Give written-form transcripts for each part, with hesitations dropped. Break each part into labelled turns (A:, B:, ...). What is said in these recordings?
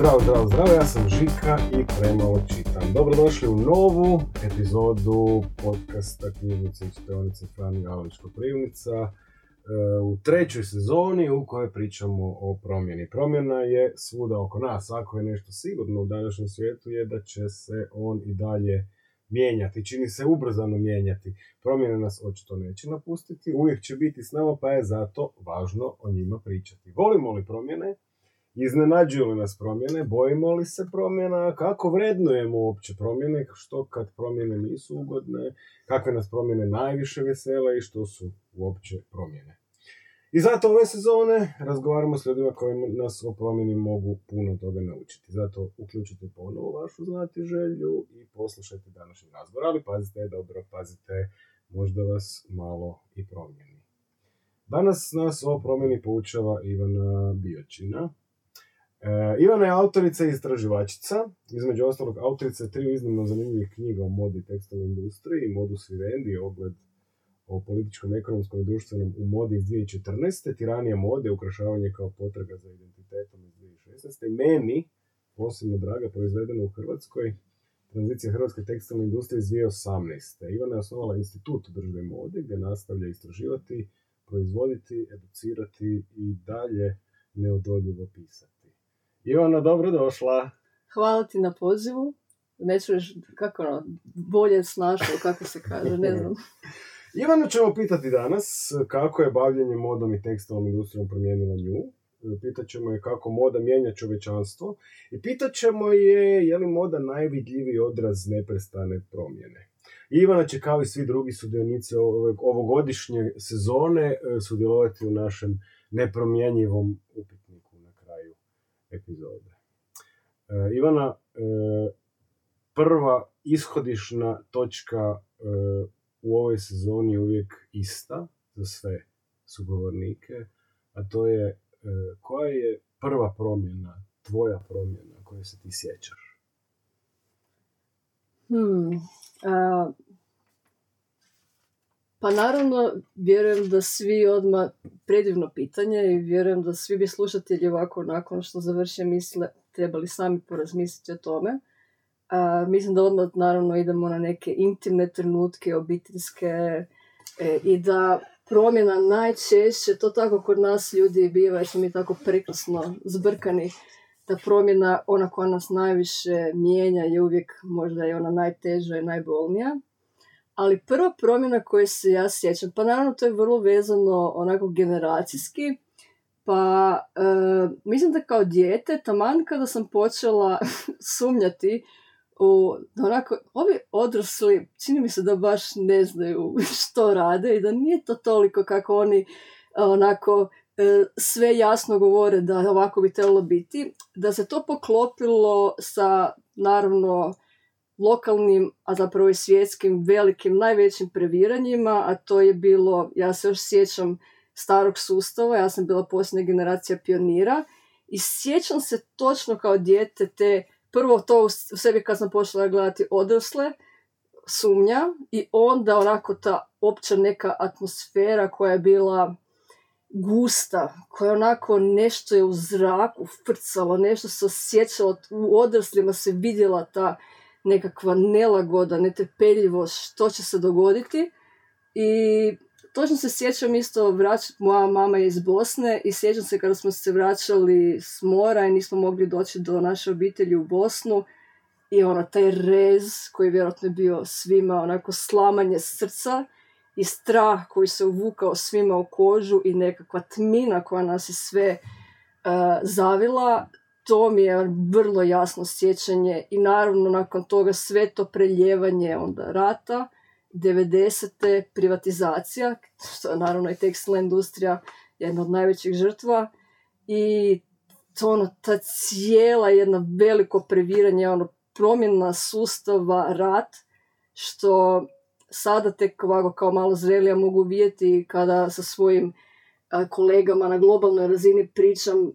A: Zdravo, ja sam Žika i premalo čitam. Dobrodošli u novu epizodu podcasta Knjižnice i čitaonice Fran Galović Koprivnica u trećoj sezoni u kojoj pričamo o promjeni. Promjena je svuda oko nas. Ako je nešto sigurno u današnjem svijetu je da će se on i dalje mijenjati. Čini se ubrzano mijenjati. Promjene nas očito neće napustiti, uvijek će biti s nama, pa je zato važno o njima pričati. Volimo li promjene? Iznenađuju li nas promjene? Bojimo li se promjena? Kako vrednujemo uopće promjene? Što kad promjene nisu ugodne? Kakve nas promjene najviše vesele i što su uopće promjene? I zato ove sezone razgovaramo s ljudima koji nas o promjeni mogu puno toga naučiti. Zato uključite ponovo vašu znatiželju i poslušajte današnji razgovor. Ali pazite, možda vas malo i promijeni. Danas nas o promjeni poučava Ivana Biočina. Ivana je autorica i istraživačica, između ostalog autorica 3 iznimno zanimljivih knjiga o modi i tekstilnoj industriji, Modus Vivendi, ogled o političkom, ekonomskom i društvenom u modi iz 2014. Tiranija mode, ukrašavanje kao potraga za identitetom iz 2016. Meni, posebno draga, proizvedeno u Hrvatskoj, tranzicija hrvatske tekstilne industrije iz 2018. Ivana je osnovala institut održive mode gdje nastavlja istraživati, proizvoditi, educirati i dalje neodoljivo pisati. Ivana, dobrodošla.
B: Hvala ti na pozivu. Neću reći kako bolje snašao, kako se kaže, ne znam.
A: Ivanu ćemo pitati danas kako je bavljenje modom i tekstilnom industrijom promijenila nju. Pitat ćemo je kako moda mijenja čovječanstvo. I pitat ćemo je li moda najvidljiviji odraz neprestane promjene. Ivana će kao i svi drugi sudionici ovogodišnje sezone sudjelovati u našem nepromjenjivom upitniku na kraju epizode. Ivana, prva ishodišna točka u ovoj sezoni je uvijek ista za sve sugovornike, a to je koja je prva promjena, tvoja promjena koju se ti sjećaš?
B: Pa naravno, vjerujem da svi odmah, predivno pitanje i vjerujem da svi bi slušatelji ovako nakon što završe misle trebali sami porazmisliti o tome. Mislim da odmah naravno idemo na neke intimne trenutke, obiteljske i da promjena najčešće, to tako kod nas ljudi biva jer smo mi tako prekrasno zbrkani, da promjena, ona koja nas najviše mijenja je uvijek možda je ona najteža i najbolnija. Ali prva promjena koju se ja sjećam, pa naravno to je vrlo vezano onako generacijski, pa mislim da kao dijete, taman kada sam počela sumnjati onako, ovi odrasli, čini mi se da baš ne znaju što rade i da nije to toliko kako oni onako sve jasno govore da ovako bi trebalo biti, da se to poklopilo sa naravno lokalnim, a zapravo i svjetskim velikim, najvećim previranjima, a to je bilo, ja se još sjećam starog sustava, ja sam bila posljednja generacija pionira i sjećam se točno kao dijete te, prvo to u sebi kad sam počela gledati odrasle, sumnja i onda onako ta opća neka atmosfera koja je bila gusta, koja onako nešto je u zraku frcalo, nešto se osjećalo, u odraslima se vidjela ta nekakva nelagoda, netrpeljivost, što će se dogoditi. I točno se sjećam isto, moja mama je iz Bosne i sjećam se kada smo se vraćali s mora i nismo mogli doći do naše obitelji u Bosnu i taj rez koji vjerojatno je bio svima, onako slamanje srca i strah koji se uvukao svima u kožu i nekakva tmina koja nas je sve zavila. To mi je vrlo jasno sjećanje i naravno nakon toga sve to preljevanje onda rata, 90. privatizacija, što je naravno i tekstilna industrija jedna od najvećih žrtva i to ta cijela jedna veliko previranje, promjena sustava, rat, što sada tek ovako kao malo zrelija mogu vidjeti kada sa svojim kolegama na globalnoj razini pričam.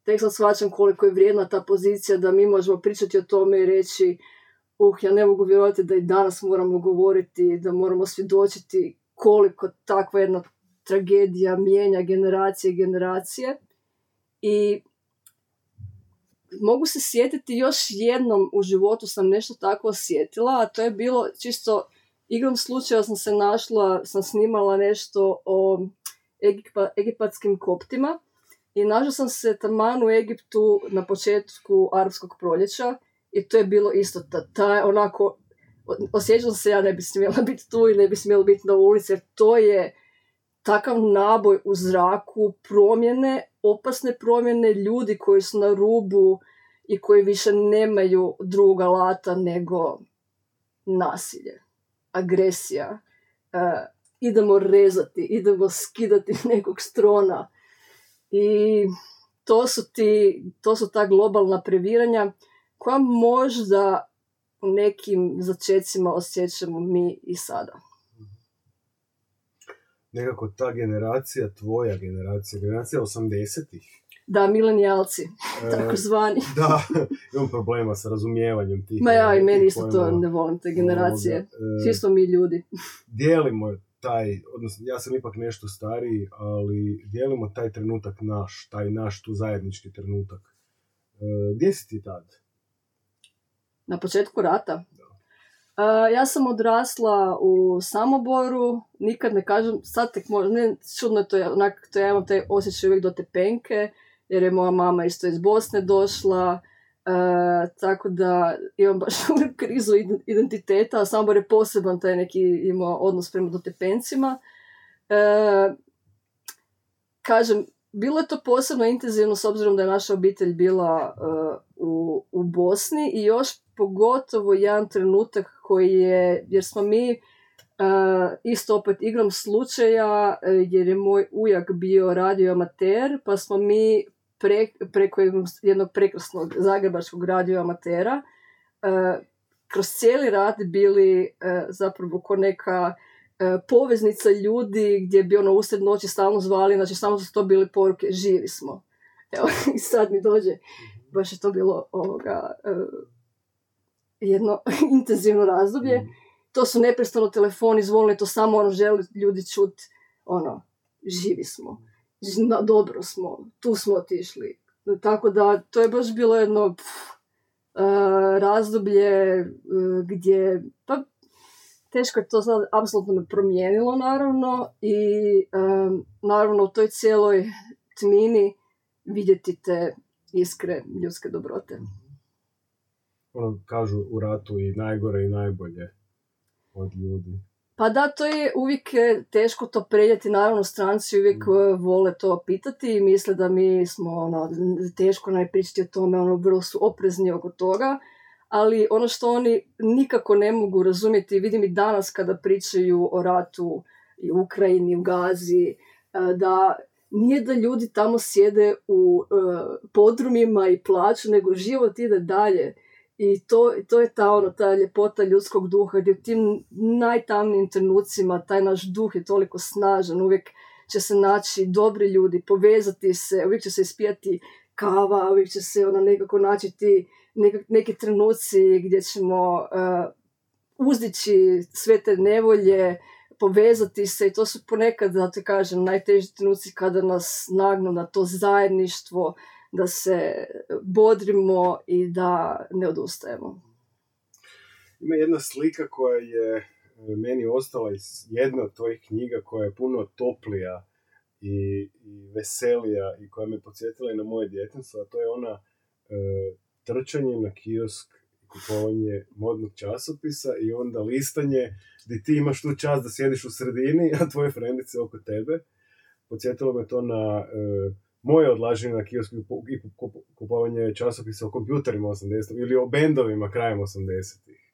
B: Tek sad shvaćam koliko je vrijedna ta pozicija da mi možemo pričati o tome i reći ja ne mogu vjerovati da i danas moramo govoriti, da moramo svjedočiti koliko takva jedna tragedija mijenja generacije i generacije. I mogu se sjetiti još jednom u životu sam nešto tako osjetila, a to je bilo čisto igrom slučaja sam snimala nešto o egipatskim koptima i našla sam se taman u Egiptu na početku arapskog proljeća i to je bilo isto onako, osjećam se ja ne bi smjela biti tu i ne bi smjela biti na ulici, jer to je takav naboj u zraku, promjene, opasne promjene, ljudi koji su na rubu i koji više nemaju drugog alata nego nasilje, agresija, idemo rezati, idemo skidati nekog strona. I to su ta globalna previranja koja možda u nekim začecima osjećamo mi i sada.
A: Nekako ta generacija, tvoja generacija 80-ih.
B: Da, milenijalci, tako zvani.
A: Da, imam problema sa razumijevanjem tih.
B: Ma ja i meni isto to ne volim, te generacije. Svi smo mi ljudi.
A: Dijelimo odnosno ja sam ipak nešto stariji, ali dijelimo taj trenutak naš tu zajednički trenutak. Gdje si ti tad?
B: Na početku rata? Ja sam odrasla u Samoboru, nikad ne kažem, sad tek možda, ne, čudno je to, ja imam taj osjećaj uvijek do Tepenke, jer je moja mama isto iz Bosne došla, tako da imam baš krizu identiteta, a Samobor je poseban taj neki imao odnos prema Dotepencima. Kažem, bilo je to posebno intenzivno s obzirom da je naša obitelj bila u Bosni i još pogotovo jedan trenutak koji je, jer smo mi isto opet igrom slučaja, jer je moj ujak bio radioamater, pa smo mi preko jednog prekrasnog zagrebačkog radioamatera kroz cijeli rat bili zapravo ko neka poveznica ljudi gdje bi usred noći stalno zvali, znači stalno su to bili poruke, živi smo. Evo, i sad mi dođe, baš je to bilo jedno intenzivno razdoblje. To su neprestano telefoni zvonili, to samo želi ljudi čuti, živi smo, dobro smo, tu smo otišli. Tako da to je baš bilo jedno razdoblje gdje, pa teško je to sad, apsolutno me promijenilo naravno i naravno u toj cijeloj tmini vidjeti te iskre ljudske dobrote.
A: Kažu u ratu i najgore i najbolje od ljudi.
B: Pa da, to je uvijek teško to prenijeti, naravno stranci uvijek vole to pitati i misle da mi smo teško pričati o tome, vrlo su oprezni oko toga, ali ono što oni nikako ne mogu razumjeti, vidim i danas kada pričaju o ratu i u Ukrajini, u Gazi, da nije da ljudi tamo sjede u podrumima i plaću, nego život ide dalje. I to je ta ljepota ljudskog duha, gdje u tim najtamnijim trenucima taj naš duh je toliko snažan, uvijek će se naći dobri ljudi, povezati se, uvijek će se ispijati kava, uvijek će se nekako naći neki trenuci gdje ćemo uzdići sve te nevolje, povezati se i to su ponekad, da te kažem, najteži trenuci kada nas nagnu na to zajedništvo, da se bodrimo i da ne odustajemo.
A: Ima jedna slika koja je meni ostala iz jedne od tvojih knjiga koja je puno toplija i veselija i koja me podsjetila i na moje djetinjstvo, a to je ona trčanje na kiosk, kupovanje modnog časopisa i onda listanje gdje ti imaš tu čast da sjediš u sredini, a tvoje frendice oko tebe. Podsjetilo me to na moje odlaženje na kiosku i kupovanje časopisa o kompjuterima 80-ih ili o bendovima krajem 80-ih.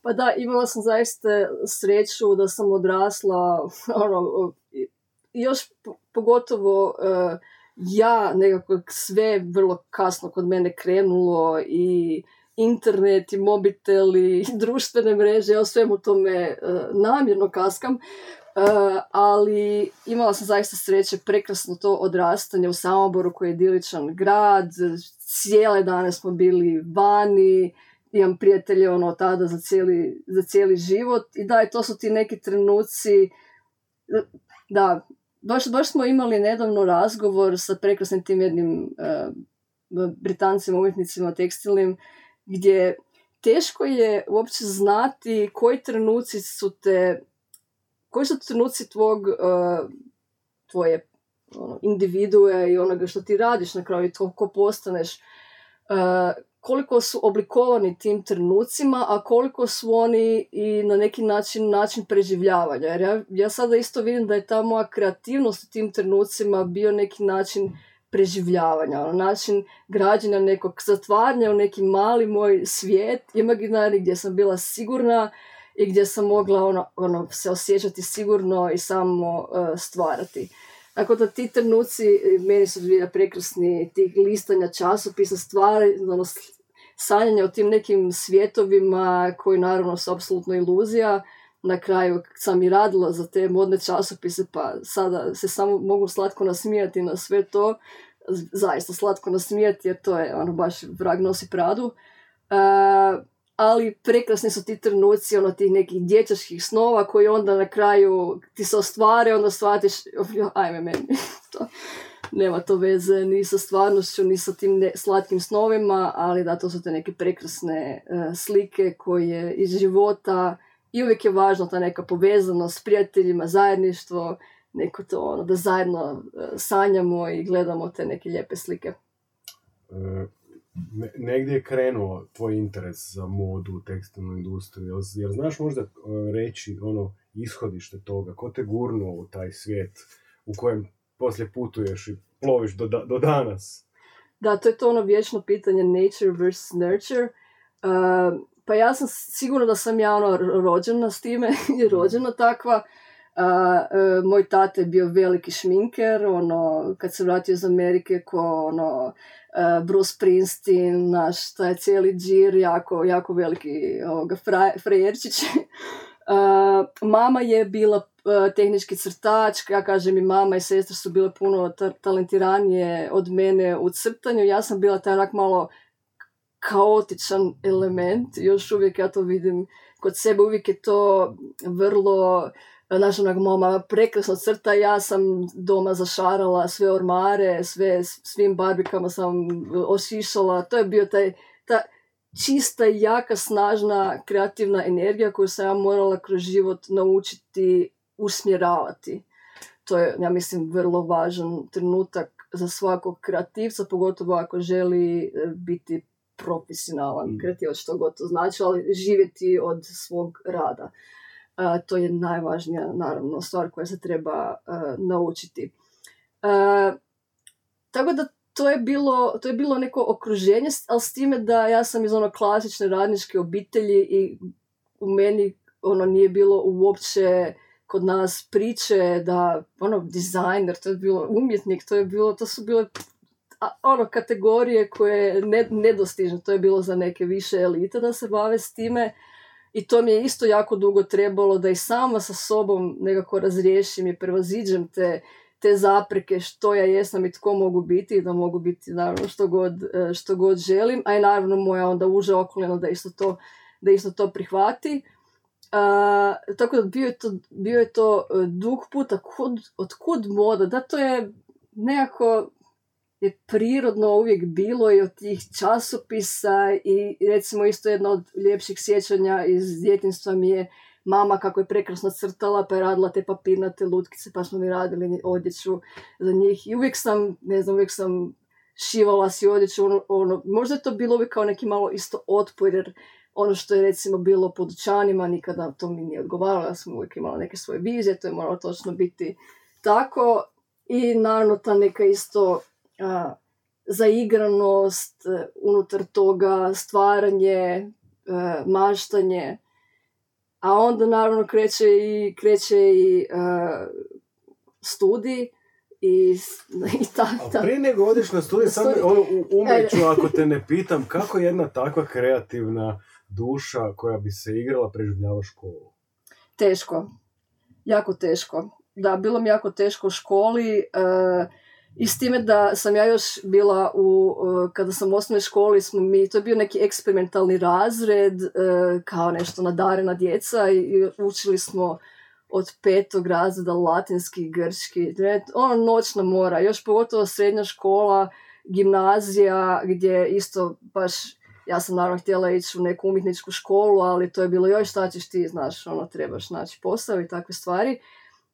B: Pa da, imala sam zaista sreću da sam odrasla, još pogotovo ja nekako sve vrlo kasno kod mene krenulo i internet i mobitel i društvene mreže, ja o svemu tome namjerno kaskam, ali imala sam zaista sreće, prekrasno to odrastanje u Samoboru koji je idiličan grad, cijele dane smo bili vani, imam prijatelje tada za cijeli život i da, to su ti neki trenuci, da, baš smo imali nedavno razgovor sa prekrasnim tim jednim Britancima, umjetnicima tekstilnim, gdje teško je uopće znati koji su trenuci tvoje individue i onoga što ti radiš na kraju, ko postaneš, koliko su oblikovani tim trenucima, a koliko su oni i na neki način preživljavanja. Jer ja sada isto vidim da je ta moja kreativnost u tim trenucima bio neki način preživljavanja, način građenja nekog zatvaranja u neki mali moj svijet imaginarni gdje sam bila sigurna i gdje sam mogla se osjećati sigurno i samo stvarati. Tako da ti trenuci meni su bili prekrasni, tih listanja časopisa, stvari, sanjanja o tim nekim svjetovima koji naravno su apsolutno iluzija. Na kraju sam i radila za te modne časopise, pa sada se samo mogu slatko nasmijati na sve to, zaista slatko nasmijati jer to je baš vrag nosi pradu. Ali prekrasni su ti trenuci tih nekih dječačkih snova koji onda na kraju ti se ostvare, onda shvatiš, ajme meni, to nema to veze ni sa stvarnošću, ni sa tim slatkim snovima, ali da, to su te neke prekrasne slike koje iz života i uvijek je važno ta neka povezanost s prijateljima, zajedništvo, neko to da zajedno sanjamo i gledamo te neke lijepe slike.
A: Negdje je krenuo tvoj interes za modu, tekstilnu industriju, jer znaš možda reći ishodište toga, ko te gurnuo u taj svijet u kojem poslije putuješ i ploviš do danas?
B: Da, to je to vječno pitanje nature versus nurture. Pa ja sam sigurna da sam ja rođena s time i rođena takva. Moj tata je bio veliki šminker, kad se vratio iz Amerike Bruce Springsteen, naš taj cijeli džir, jako veliki frajerčić. Mama je bila tehnički crtač, ja kažem i mama i sestra su bile puno talentiranije od mene u crtanju, ja sam bila taj onak malo kaotičan element, još uvijek ja to vidim kod sebe, uvijek je to vrlo, mama prekrasno crta, ja sam doma zašarala sve ormare, svim barbikama sam ošišala, to je bio ta čista, jaka, snažna, kreativna energija koju sam ja morala kroz život naučiti usmjeravati. To je, ja mislim, vrlo važan trenutak za svakog kreativca, pogotovo ako želi biti profesionalan kreativac, što god to znači, ali živjeti od svog rada. To je najvažnija, naravno, stvar koja se treba naučiti. Tako da to je bilo neko okruženje, ali s time da ja sam iz klasične radničke obitelji i u meni nije bilo uopće kod nas priče da dizajner, to je bilo umjetnik, to su bile kategorije koje nedostižne, to je bilo za neke više elite da se bave s time. I to mi je isto jako dugo trebalo da i sama sa sobom nekako razriješim i prevaziđem te zapreke što ja jesam i tko mogu biti i da mogu biti naravno što god želim, a i naravno moja onda uža okolina da isto to prihvati. Tako da bio je to dug put, otkud moda, da to je nekako je prirodno uvijek bilo i od tih časopisa i recimo isto jedno od ljepših sjećanja iz djetinjstva mi je mama kako je prekrasno crtala pa je radila te papirnate lutkice pa smo mi radili odjeću za njih i uvijek sam šivala si odjeću, možda je to bilo uvijek kao neki malo isto otpor jer ono što je recimo bilo po dućanima nikada to mi nije odgovaralo, ja sam uvijek imala neke svoje vizije, to je moralo točno biti tako i naravno ta neka isto zaigranost unutar toga, stvaranje, maštanje, a onda naravno kreće i studij i ta.
A: A prije nego odeš na studij, samo umeću ako te ne pitam, kako jedna takva kreativna duša koja bi se igrala preživljava školu?
B: Teško, jako teško. Da, bilo mi jako teško u školi, i s time da sam ja još bila kada sam u osnovnoj školi, to je bio neki eksperimentalni razred, kao nešto nadarena djeca i učili smo od 5. razreda latinski, grčki, noćna mora, još pogotovo srednja škola gimnazija gdje isto baš, ja sam naravno htjela ići u neku umjetničku školu, ali to je bilo još šta ćeš ti, znaš, trebaš naći posao i takve stvari.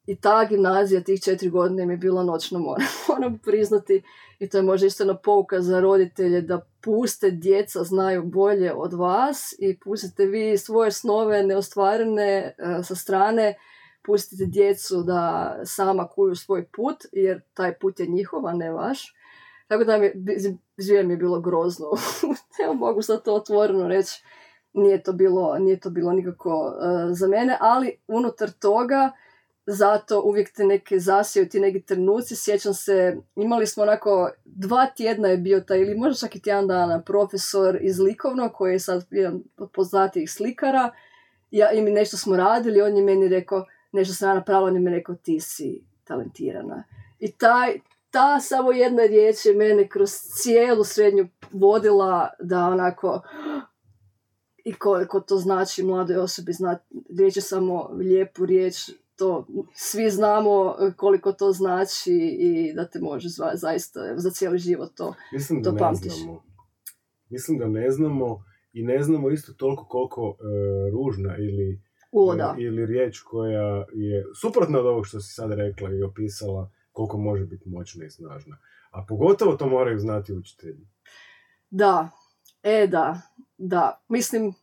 B: I ta gimnazija tih 4 godine mi je bila noćno mora, moram priznati. I to je možda isto jedna pouka za roditelje da puste djeca znaju bolje od vas i pustite vi svoje snove neostvarene sa strane, pustite djecu da sama kuju svoj put, jer taj put je njihov, a ne vaš. Tako da mi je bilo grozno. Evo, mogu sad to otvoreno reći. Nije to bilo nikako za mene, ali unutar toga zato uvijek te neke zasijaju ti neki trenuci. Sjećam se, imali smo onako 2 tjedna je bio taj, ili možda čak i tjedan dana, profesor iz likovnog koji je sad jedan od poznatijih slikara. I mi nešto smo radili, on je meni rekao, nešto sam ja napravila, on je mi rekao, ti si talentirana. I ta samo jedna riječ je mene kroz cijelu srednju vodila da onako, i koliko to znači mladoj osobi, riječ je samo lijepu riječ, to svi znamo koliko to znači i da te može zaista za cijeli život to pamtiš.
A: Mislim da ne znamo i ne znamo isto toliko koliko ružna ili riječ koja je suprotna od ovog što si sad rekla i opisala, koliko može biti moćna i snažna. A pogotovo to moraju znati učitelji.
B: Da, mislim,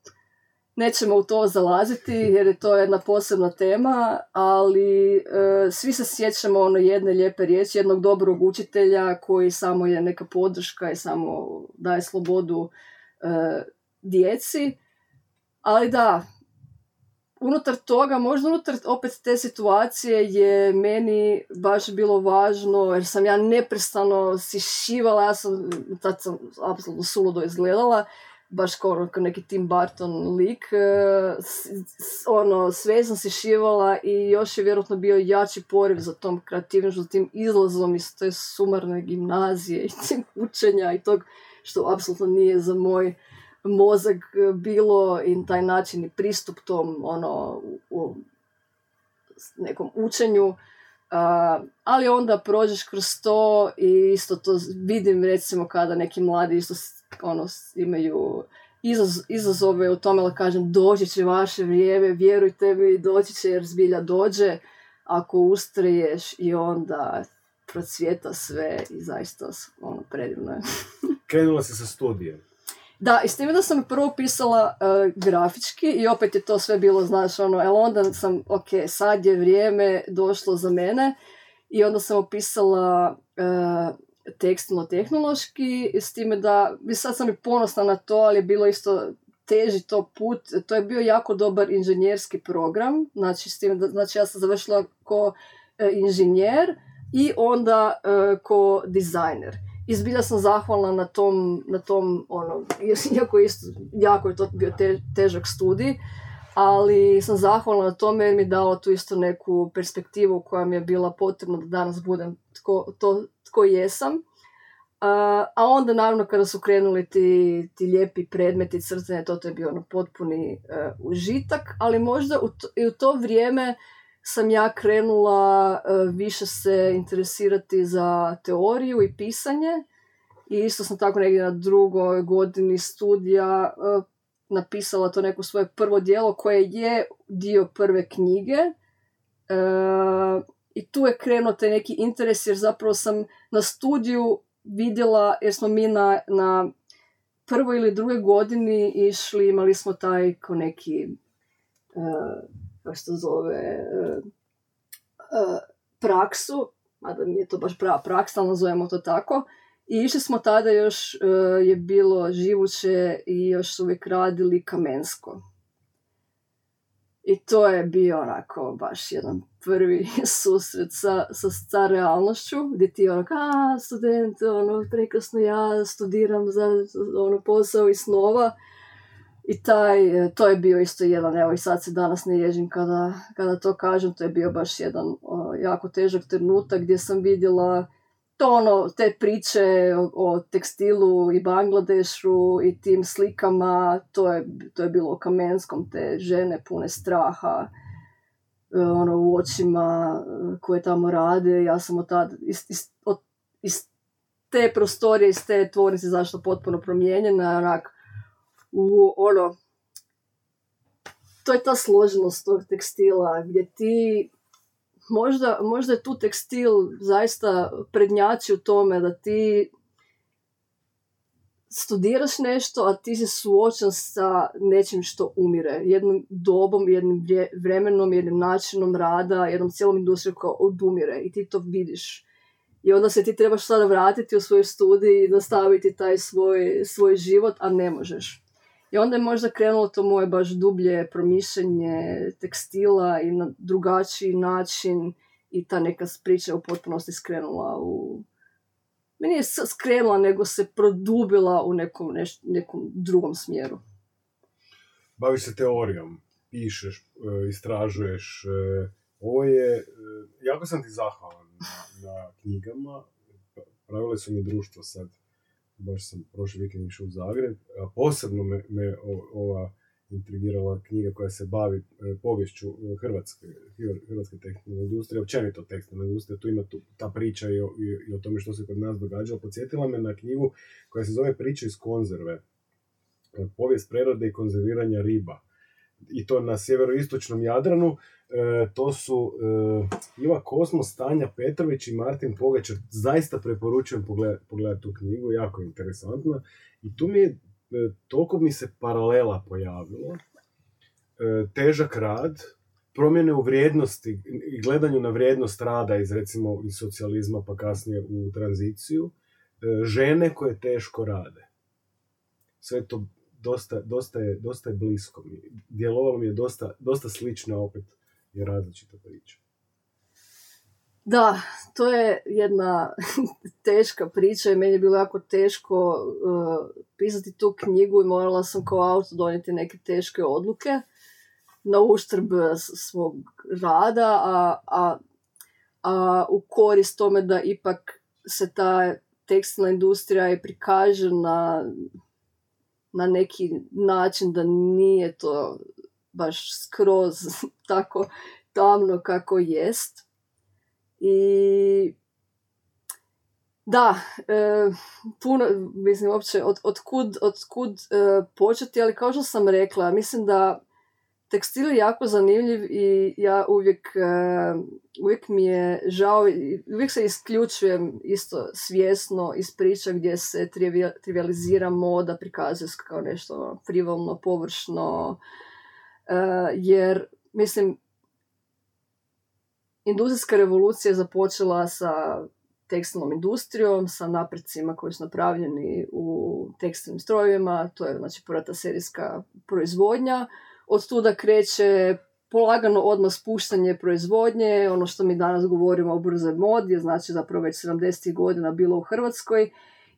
B: nećemo u to zalaziti jer je to jedna posebna tema, ali svi se sjećamo jedne lijepe riječi, jednog dobrog učitelja koji samo je neka podrška i samo daje slobodu djeci. Ali da, unutar toga, možda unutar opet te situacije je meni baš bilo važno, jer sam ja neprestano si šivala, tad sam apsolutno suludo izgledala, baš kao neki Tim Burton lik, sve sam si šivala i još je vjerojatno bio jači poriv za tom kreativnošću, za tim izlazom iz te sumarne gimnazije i tim učenja i tog što apsolutno nije za moj mozak bilo i taj način i pristup tom u nekom učenju. Ali onda prođeš kroz to i isto to vidim recimo kada neki mladi isto imaju izazove u tome, da kažem, doći će vaše vrijeme, vjerujte mi, doći će jer zbilja dođe ako ustraješ i onda procvjeta sve i zaista predivno je.
A: Krenula si sa studijem.
B: Da, i s time da sam prvo pisala grafički i opet je to sve bilo, znaš, ali onda sam, sad je vrijeme došlo za mene i onda sam opisala tekstilno-tehnološki, s time da, sad sam i ponosna na to, ali je bilo isto teži to put, to je bio jako dobar inženjerski program, znači, s time da, znači ja sam završila ko inženjer i onda ko dizajner. I zbilja sam zahvalna na tom iako isto, jako je to bio težak studij, ali sam zahvalna na tome jer mi je dalo tu isto neku perspektivu koja mi je bila potrebna da danas budem tko jesam. A onda naravno kada su krenuli ti lijepi predmeti crtanja, to je bio potpuni užitak, ali možda i u to vrijeme sam ja krenula više se interesirati za teoriju i pisanje i isto sam tako negdje na 2. godini studija napisala to neko svoje prvo djelo koje je dio prve knjige i tu je krenuo taj neki interes jer zapravo sam na studiju vidjela, jer smo mi na 1. ili 2. godini išli, imali smo taj ko neki kako se to zove, praksu, mada nije to baš prava praksa, ali nazovemo to tako. I išli smo tada još, je bilo živuće i još su uvijek radili kamensko. I to je bio onako baš jedan prvi susret sa realnošću, gdje ti student, prekrasno, ja studiram za posao i snova. I to je bio isto jedan, evo i sad se danas ne ježim kada to kažem, to je bio baš jedan jako težak trenutak gdje sam vidjela te priče o tekstilu i Bangladešu i tim slikama, to je bilo u Kamenskom, te žene pune straha u očima koje tamo rade. Ja sam iz te prostorije iz te tvornice zašto potpuno promijenjena, onak, to je ta složenost tog tekstila, gdje ti, možda je tu tekstil zaista prednjači u tome da ti studiraš nešto, a ti si suočen sa nečim što umire. Jednom dobom, jednim vremenom, jednim načinom rada, jednom cijelom industrijom koja odumire i ti to vidiš. I onda se ti trebaš sada vratiti u svoj studij i nastaviti taj svoj život, a ne možeš. I onda je možda krenulo to moje baš dublje promišljanje tekstila i na drugačiji način i ta neka priča u potpunosti skrenula nije skrenula, nego se produbila u nekom drugom smjeru.
A: Baviš se teorijom, pišeš, istražuješ. Ovo je, jako sam ti zahvalan na knjigama. Pravile su mi društvo sad. Baš sam prošli vikend išao u Zagreb. Posebno me ova intrigirala knjiga koja se bavi poviješću hrvatske tekstilne industrije, općenito tekstilne industrije. Tu ima ta priča i o tome što se kod nas događalo. Podsjetila me na knjigu koja se zove Priče iz konzerve. Povijest prerade i konzerviranja riba. I to na sjeveroistočnom Jadranu. To su Iva Kosmos, Tanja Petrović i Martin Pogačar. Zaista preporučujem pogledati tu knjigu, jako interesantna. I tu toliko mi se paralela pojavilo. Težak rad, promjene u vrijednosti i gledanju na vrijednost rada iz socijalizma pa kasnije u tranziciju. Žene koje teško rade. Sve to dosta je blisko. Djelovalo mi je dosta slično, opet je različita priča.
B: Da, to je jedna teška priča i meni je bilo jako teško pisati tu knjigu i morala sam kao autor donijeti neke teške odluke na uštrb svog rada, a u korist tome da ipak se ta tekstilna industrija i prikaže na neki način da nije to baš skroz tako tamno kako jest. I da, puno, mislim, uopće otkud početi, ali kao što sam rekla, mislim da tekstil je jako zanimljiv i ja uvijek mi je žao, uvijek se isključujem isto svjesno iz priča gdje se trivializira moda, prikazuje se kao nešto frivolno, površno, jer, mislim, industrijska revolucija je započela sa tekstilnom industrijom, sa napredcima koji su napravljeni u tekstilnim strojevima, to je znači prva ta serijska proizvodnja. Od tuda kreće polagano odmah spuštanje proizvodnje, ono što mi danas govorimo o brzoj modi, znači zapravo već 70. godina bilo u Hrvatskoj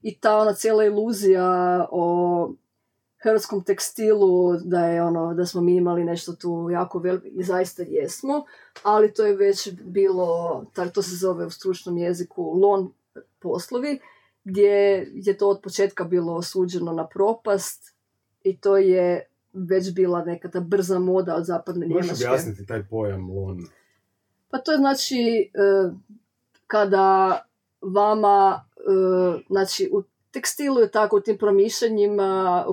B: i ta ona cijela iluzija o hrvatskom tekstilu, da smo mi imali nešto tu jako veliko, i zaista jesmo, ali to je već bilo, to se zove u stručnom jeziku lon poslovi, gdje je to od početka bilo osuđeno na propast i to je već bila neka ta brza moda od zapadne Njemačke.
A: Možeš objasniti taj pojam lon?
B: Pa to je znači kada vama, znači u tekstilu je tako u tim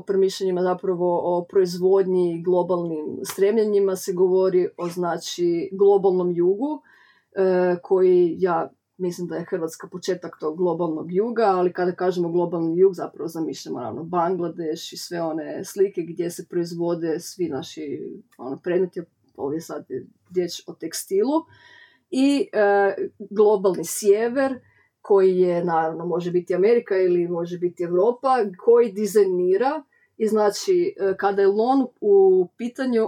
B: promišljanjima zapravo o proizvodnji i globalnim stremljenjima se govori o znači globalnom jugu koji ja mislim da je Hrvatska početak tog globalnog juga, ali kada kažemo globalni jug zapravo zamišljamo naravno Bangladeš i sve one slike gdje se proizvode svi naši predmeti, ovdje sad je riječ o tekstilu i globalni sjever koji je, naravno, može biti Amerika ili može biti Europa, koji dizajnira i znači kada je lon u pitanju,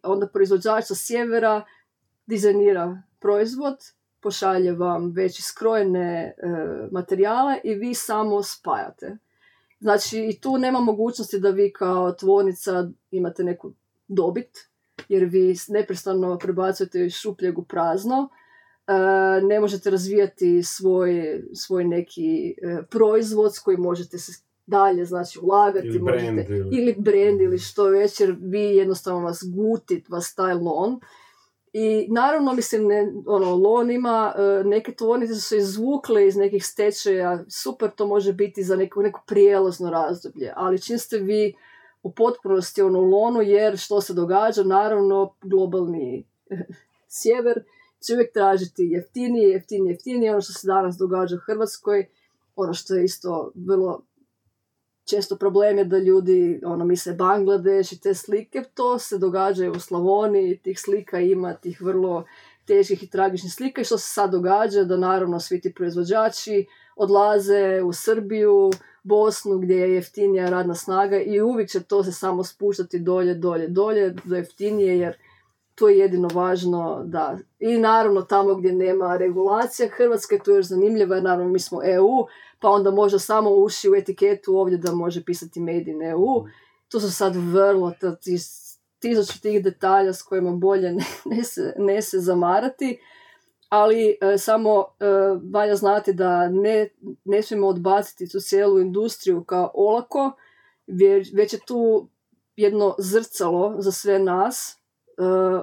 B: onda proizvođač sa sjevera dizajnira proizvod, pošalje vam već iskrojene materijale i vi samo spajate. Znači i tu nema mogućnosti da vi kao tvornica imate neku dobit, jer vi neprestano prebacujete iz šupljeg u prazno. Ne možete razvijati svoj neki proizvod s kojim možete se dalje znači ulagati ili brand ili što već, jer vi jednostavno vas gutit, vas taj lon I naravno, mislim, Lon ima, neke tvornice su se izvukle iz nekih stečaja, super, to može biti za neko prijelazno razdoblje, ali čim ste vi u potpunosti u Lonu, jer što se događa, naravno, globalni sjever će uvijek tražiti jeftinije, ono što se danas događa u Hrvatskoj, ono što je isto vrlo često problem je da ljudi misle Bangladeš i te slike, to se događa u Slavoniji, tih slika ima, tih vrlo teških i tragičnih slika, i što se sad događa, da naravno svi ti proizvođači odlaze u Srbiju, Bosnu, gdje je jeftinija radna snaga, i uvijek će to se samo spuštati dolje do jeftinije, jer to je jedino važno, da. I naravno tamo gdje nema regulacija, Hrvatska je tu još zanimljiva, jer naravno mi smo EU, pa onda može samo uši u etiketu ovdje da može pisati Made in EU. To su sad vrlo tisuću tih detalja s kojima bolje ne se zamarati, ali samo valja znati da ne smijemo odbaciti tu cijelu industriju kao olako, već je tu jedno zrcalo za sve nas,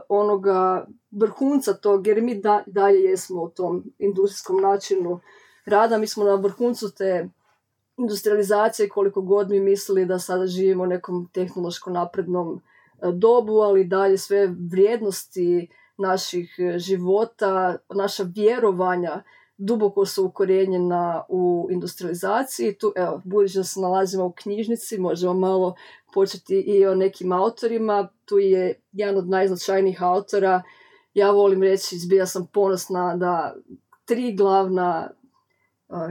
B: onoga vrhunca tog, jer mi dalje jesmo u tom industrijskom načinu rada, mi smo na vrhuncu te industrializacije, koliko god mi mislili da sada živimo u nekom tehnološko naprednom dobu, ali dalje sve vrijednosti naših života, naša vjerovanja duboko su ukorijenjena u industrializaciji. Tu, evo, budući da se nalazimo u knjižnici, možemo malo početi i o nekim autorima. Tu je jedan od najznačajnijih autora. Ja volim reći, zbilja sam ponosna da 3 glavna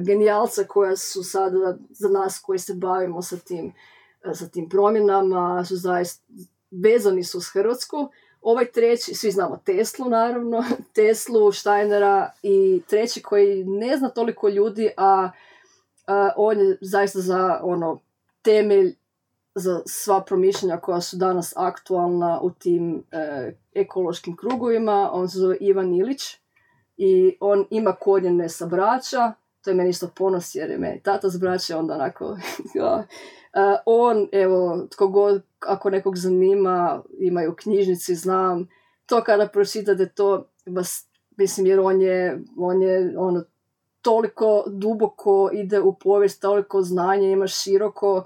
B: genijalca koja su sada za nas koji se bavimo sa tim promjenama, su zaista vezani su s Hrvatsku. Ovaj treći, svi znamo Teslu naravno, Teslu, Steinera, i treći koji ne zna toliko ljudi, a on je zaista za temelj za sva promišljanja koja su danas aktualna u tim ekološkim krugovima. On se zove Ivan Ilić i on ima korijene sa Brača. To je meni isto ponos jer je meni tata s Brača, onda onako on, evo, tko god, ako nekog zanima, imaju u knjižnici, znam, to kada pročitate to, mislim, jer on je toliko duboko ide u povijest, toliko znanja ima široko,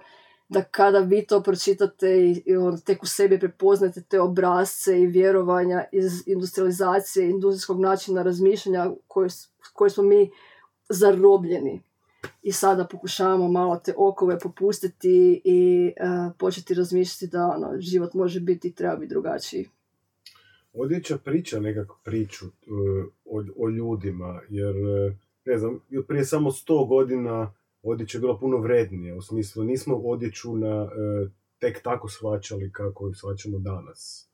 B: da kada vi to pročitate i tek u sebi prepoznate te obrasce i vjerovanja iz industrializacije, industrijskog načina razmišljanja koje smo mi zarobljeni. I sada pokušavamo malo te okove popustiti i početi razmišljati da život može biti i treba biti drugačiji.
A: Odjeća priča nekakvu priču o ljudima, jer ne znam, prije samo 100 godina odjeća je bila puno vrednije, u smislu nismo odjeću tek tako shvaćali kako ju shvaćamo danas.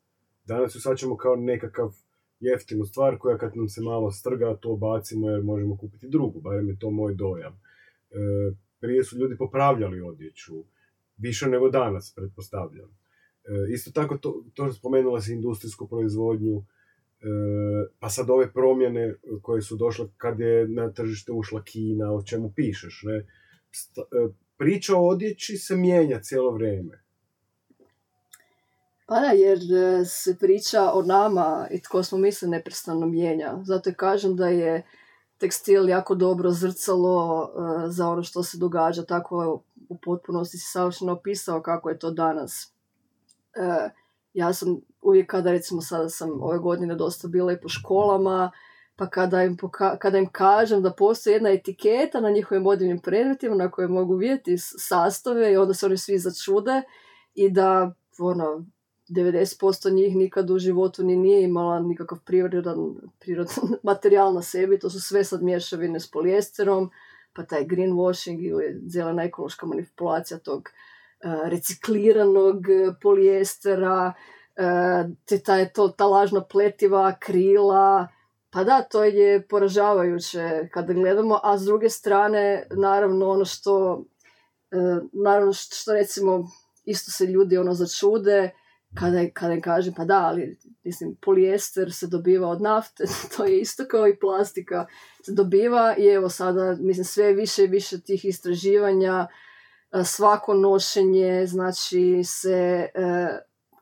A: Danas ju shvaćamo kao nekakav jeftinu stvar koja kad nam se malo strga to bacimo jer možemo kupiti drugu, barem je to moj dojam. Prije su ljudi popravljali odjeću, više nego danas, pretpostavljam. Isto tako to spomenula si industrijsku proizvodnju, pa sad ove promjene koje su došle kad je na tržište ušla Kina, o čemu pišeš, ne? Priča o odjeći se mijenja cijelo vrijeme.
B: Pa da, jer se priča o nama i tko smo mi se neprestano mijenja. Zato kažem da je tekstil jako dobro zrcalo za ono što se događa, tako u potpunosti si savršeno opisao kako je to danas. Ja sam uvijek kada, recimo sada sam ove godine dosta bila i po školama, pa kada im kažem da postoji jedna etiketa na njihovim modnim predmetima na koje mogu vidjeti sastave, i onda se oni svi začude, i da 90% njih nikad u životu nije imala nikakav prirodan materijal na sebi, to su sve sad mješavine s polijesterom, pa taj greenwashing ili zelena ekološka manipulacija tog recikliranog polijestera, ta lažna pletiva, krila. Pa da, to je poražavajuće kada gledamo, a s druge strane, naravno ono što recimo isto se ljudi začude kada im kažem, pa da, ali mislim, polijester se dobiva od nafte, to je isto kao i plastika se dobiva, i evo sada, mislim, sve više i više tih istraživanja, svako nošenje, znači se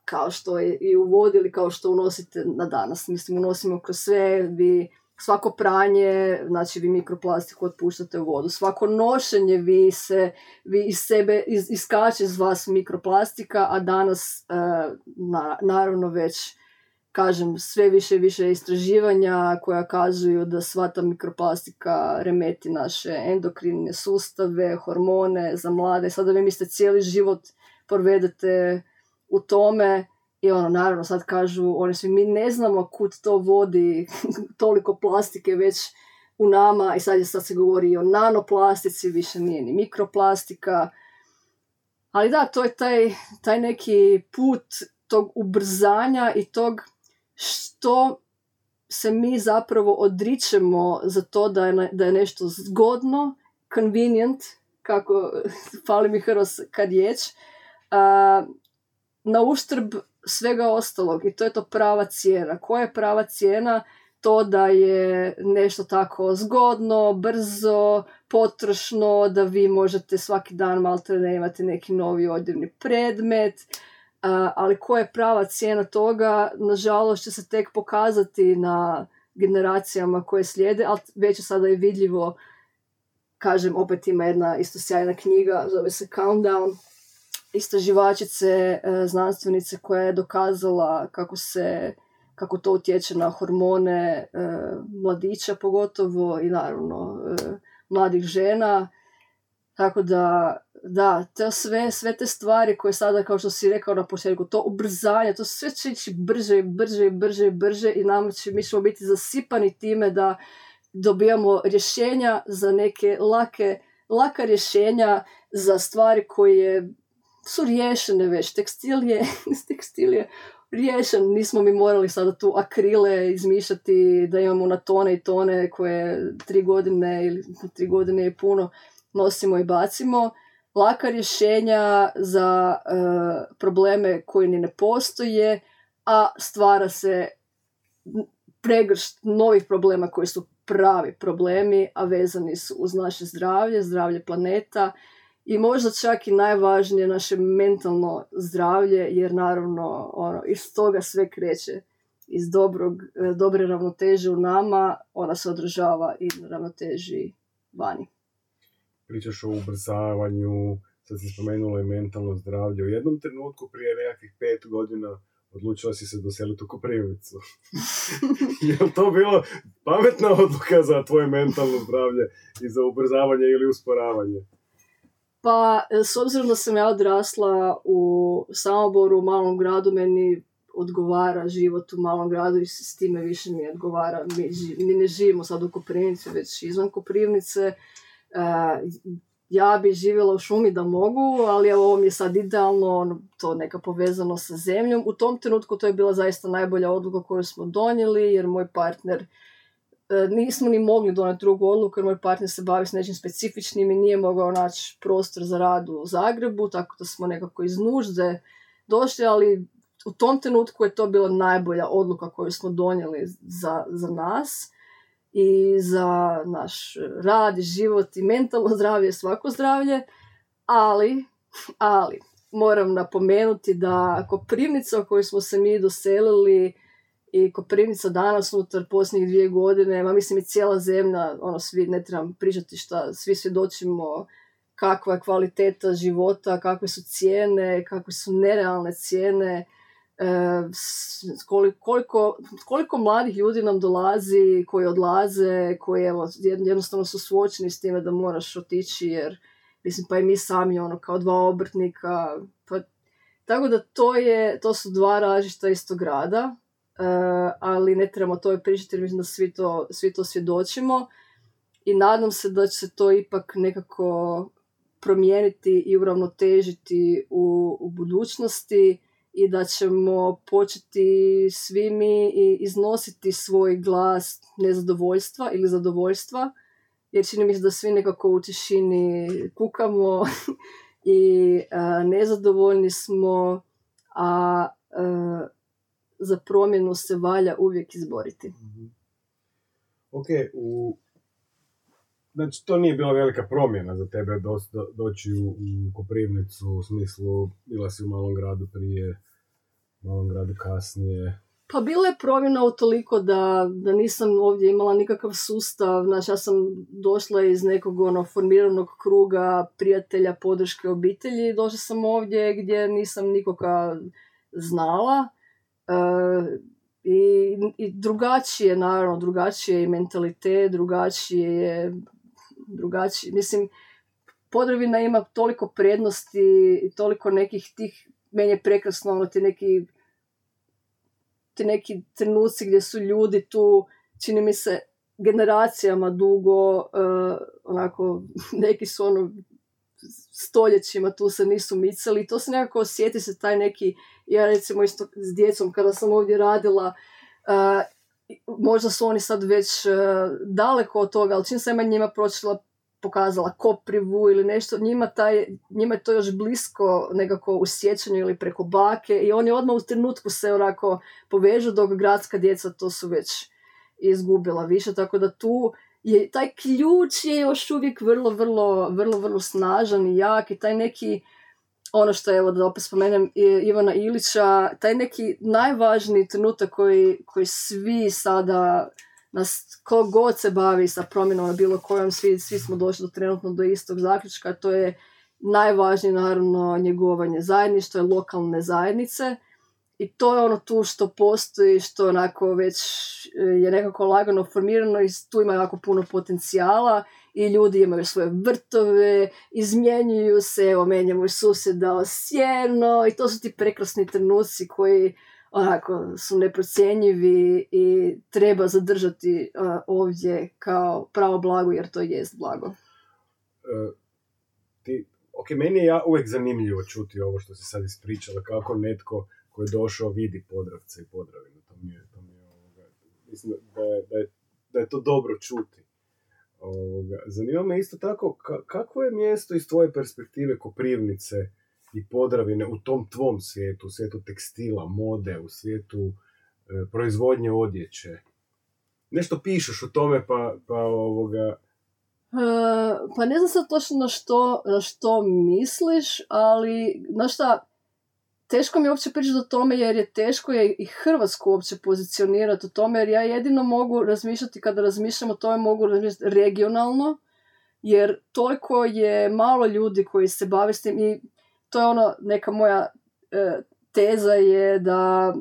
B: kao što je i u vodi ili kao što unosite na danas. Mislim, unosimo kroz sve, vi svako pranje, znači vi mikroplastiku otpuštate u vodu. Svako nošenje vi iz sebe iskače iz vas mikroplastika, a danas naravno već kažem sve više i više istraživanja koja kazuju da sva ta mikroplastika remeti naše endokrinne sustave, hormone za mlade. Sada vi mislite cijeli život provedete u tome i naravno sad kažu oni svi mi ne znamo kud to vodi toliko plastike već u nama i sad se govori i o nanoplastici, više nije ni mikroplastika. Ali da, to je taj neki put tog ubrzanja i tog što se mi zapravo odričemo za to da je nešto zgodno, convenient, kako fali mi hrvatska riječ, na uštrb svega ostalog. I to je to prava cijena. Koja je prava cijena? To da je nešto tako zgodno, brzo, potrošno, da vi možete svaki dan maltene imati neki novi odjevni predmet, ali koja je prava cijena toga, nažalost će se tek pokazati na generacijama koje slijede, ali već je sada i vidljivo, kažem, opet ima jedna isto sjajna knjiga, zove se Countdown, istraživačice, znanstvenice koja je dokazala kako to utječe na hormone mladića pogotovo i naravno mladih žena. Tako da to sve te stvari koje sada, kao što si rekao na početku, to ubrzanje, to sve će ići brže i mi ćemo biti zasipani time da dobijamo rješenja za neke laka rješenja za stvari koje su riješene već. Tekstil je riješen, nismo mi morali sada tu akrile izmišljati da imamo na tone i tone koje 3 godine ili 3 godine je puno nosimo i bacimo. Laka rješenja za probleme koji ni ne postoje, a stvara se pregršt novih problema koji su pravi problemi, a vezani su uz naše zdravlje planeta i možda čak i najvažnije naše mentalno zdravlje, jer naravno iz toga sve kreće, iz dobre ravnoteže u nama, ona se odražava i na ravnoteži vani.
A: Pričaš o ubrzavanju, sad si spomenula i mentalno zdravlje. U jednom trenutku prije nekakvih 5 godina odlučila si se doseliti u Koprivnicu. Je li to bilo pametna odluka za tvoje mentalno zdravlje i za ubrzavanje ili usporavanje?
B: Pa, s obzirom da sam ja odrasla u Samoboru, u malom gradu, meni odgovara život u malom gradu i s time više mi odgovara. Mi ne živimo sad u Koprivnici, već izvan Koprivnice. Ja bi živjela u šumi da mogu, ali ovo mi je sad idealno, to neka povezano sa zemljom. U tom trenutku to je bila zaista najbolja odluka koju smo donijeli, jer moj partner, nismo ni mogli donijeti drugu odluku, jer moj partner se bavi s nečim specifičnim i nije mogao naći prostor za rad u Zagrebu, tako da smo nekako iz nužde došli, ali u tom trenutku je to bila najbolja odluka koju smo donijeli za nas i za naš rad i život i mentalno zdravlje, svako zdravlje, ali moram napomenuti da Koprivnica u kojoj smo se mi doselili i Koprivnica danas unutar posljednjih 2 godine, mislim i cijela zemlja, svi, ne trebam pričati šta, svi svjedočimo kakva je kvaliteta života, kakve su cijene, kakve su nerealne cijene, koliko mladih ljudi nam dolazi, koji odlaze, koji jednostavno su suočeni s time da moraš otići, jer mislim pa i mi sami kao 2 obrtnika, pa, tako da to su 2 različita istog grada, ali ne trebamo to pričati jer mislim da svi to svjedočimo i nadam se da će se to ipak nekako promijeniti i uravnotežiti u budućnosti i da ćemo početi svi mi iznositi svoj glas nezadovoljstva ili zadovoljstva, jer čini mi se da svi nekako u tišini kukamo i nezadovoljni smo, a za promjenu se valja uvijek izboriti.
A: Ok, znači to nije bila velika promjena za tebe doći u Koprivnicu, u smislu bila si u malom gradu prije malom gradu kasnije?
B: Pa bila je promjena utoliko da nisam ovdje imala nikakav sustav. Znači, ja sam došla iz nekog formiranog kruga prijatelja, podrške obitelji. Došla sam ovdje gdje nisam nikoga znala. I drugačije, naravno, drugačije i mentalitet, drugačije. Mislim, Podravina ima toliko prednosti i toliko nekih tih, meni je prekrasno, ti neki trenuci gdje su ljudi tu, čini mi se, generacijama dugo, onako, neki su stoljećima tu se nisu micali i to se nekako osjeti se taj neki, ja recimo isto s djecom kada sam ovdje radila, možda su oni sad već daleko od toga, ali čim sam njima pokazala Koprivu ili nešto, njima je to još blisko nekako u sjećanju ili preko bake i oni odmah u trenutku se onako povežu, dok gradska djeca to su već izgubila više, tako da tu je taj ključ je još uvijek vrlo snažan i jak i taj neki, ono što je, evo da opet spomenem Ivana Ilića, taj neki najvažniji trenutak koji svi sada, nas ko god se bavi sa promjenom na bilo kojom, svi smo došli trenutno do istog zaključka, to je najvažnije naravno njegovanje zajedništva, lokalne zajednice i to je ono tu što postoji, što onako već je nekako lagano formirano i tu ima jako puno potencijala i ljudi imaju svoje vrtove, izmjenjuju se, evo meni je moj susjed dao sjeno i to su ti prekrasni trenuci koji onako su neprocjenjivi i treba zadržati ovdje kao pravo blago, jer to jest blago.
A: Meni je uvijek zanimljivo čuti ovo što si sad ispričala, kako netko koji je došao vidi Podravce i Podravinu. Mislim da je to dobro čuti. Zanima me isto tako, kako je mjesto iz tvoje perspektive Koprivnice i Podravine u tom tvom svijetu, u svijetu tekstila, mode, u svijetu proizvodnje odjeće? Nešto pišeš o tome,
B: Pa ne znam sad točno na što misliš, ali znaš šta, teško mi je uopće pričati o tome jer je teško je i Hrvatsku uopće pozicionirati o tome, jer ja jedino mogu razmišljati, kada razmišljam o tome, mogu razmišljati regionalno, jer toliko je malo ljudi koji se bave s tim i to je neka moja teza je da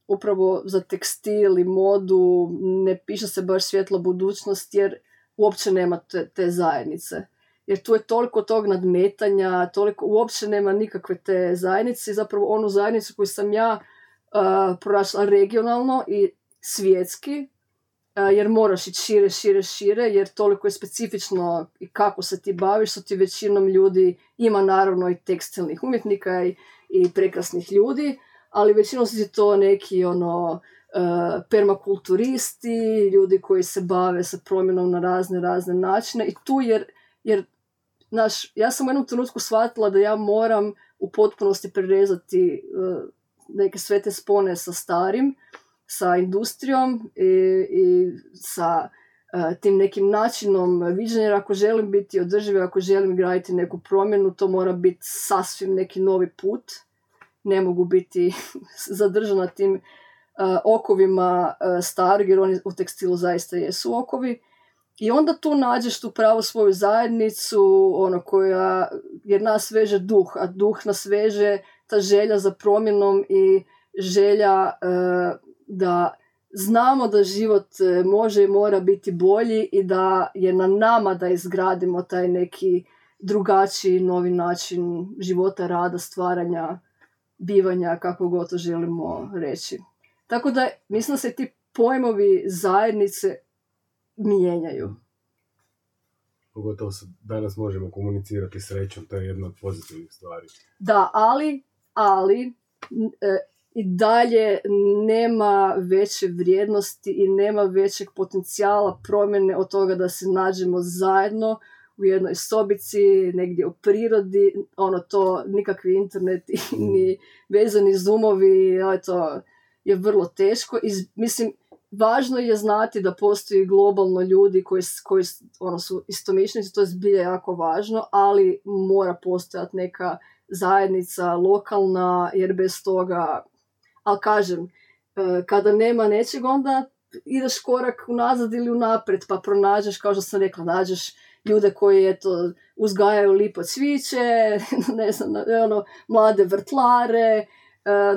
B: upravo za tekstil i modu ne piše se baš svjetla budućnost, jer uopće nema te zajednice. Jer tu je toliko tog nadmetanja, uopće nema nikakve te zajednice. Zapravo onu zajednicu koju sam ja pronašla regionalno i svjetski, jer moraš ići šire, jer toliko je specifično i kako se ti baviš, što ti većinom ljudi, ima naravno i tekstilnih umjetnika i prekrasnih ljudi, ali većinom su ti to neki permakulturisti, ljudi koji se bave sa promjenom na razne načine i tu jer ja sam u jednom trenutku shvatila da ja moram u potpunosti prerezati neke sve te spone sa starim, sa industrijom i sa tim nekim načinom viđenja, jer ako želim biti održiv, ako želim graditi neku promjenu, to mora biti sasvim neki novi put. Ne mogu biti zadržana tim okovima starog, jer oni u tekstilu zaista jesu okovi. I onda tu nađeš tu pravu svoju zajednicu, jer nas veže duh, a duh nas veže ta želja za promjenom i želja da znamo da život može i mora biti bolji i da je na nama da izgradimo taj neki drugačiji, novi način života, rada, stvaranja, bivanja, kako god to želimo reći. Tako da mislim da se ti pojmovi zajednice mijenjaju.
A: Pogotovo danas možemo komunicirati srećom, to je jedna od pozitivnih stvari.
B: Da, ali i dalje nema veće vrijednosti i nema većeg potencijala promjene od toga da se nađemo zajedno u jednoj sobici, negdje u prirodi, to nikakvi interneti ni vezani zoomovi, to je vrlo teško. Mislim, važno je znati da postoji globalno ljudi koji su istomišljenici, to je zbilja jako važno, ali mora postojati neka zajednica lokalna, jer bez toga, ali kažem, kada nema nečeg, onda ideš korak unazad ili unaprijed, pa pronađeš, kao što sam rekla, nađeš ljude koji uzgajaju lipo cviće, ne znam, mlade vrtlare,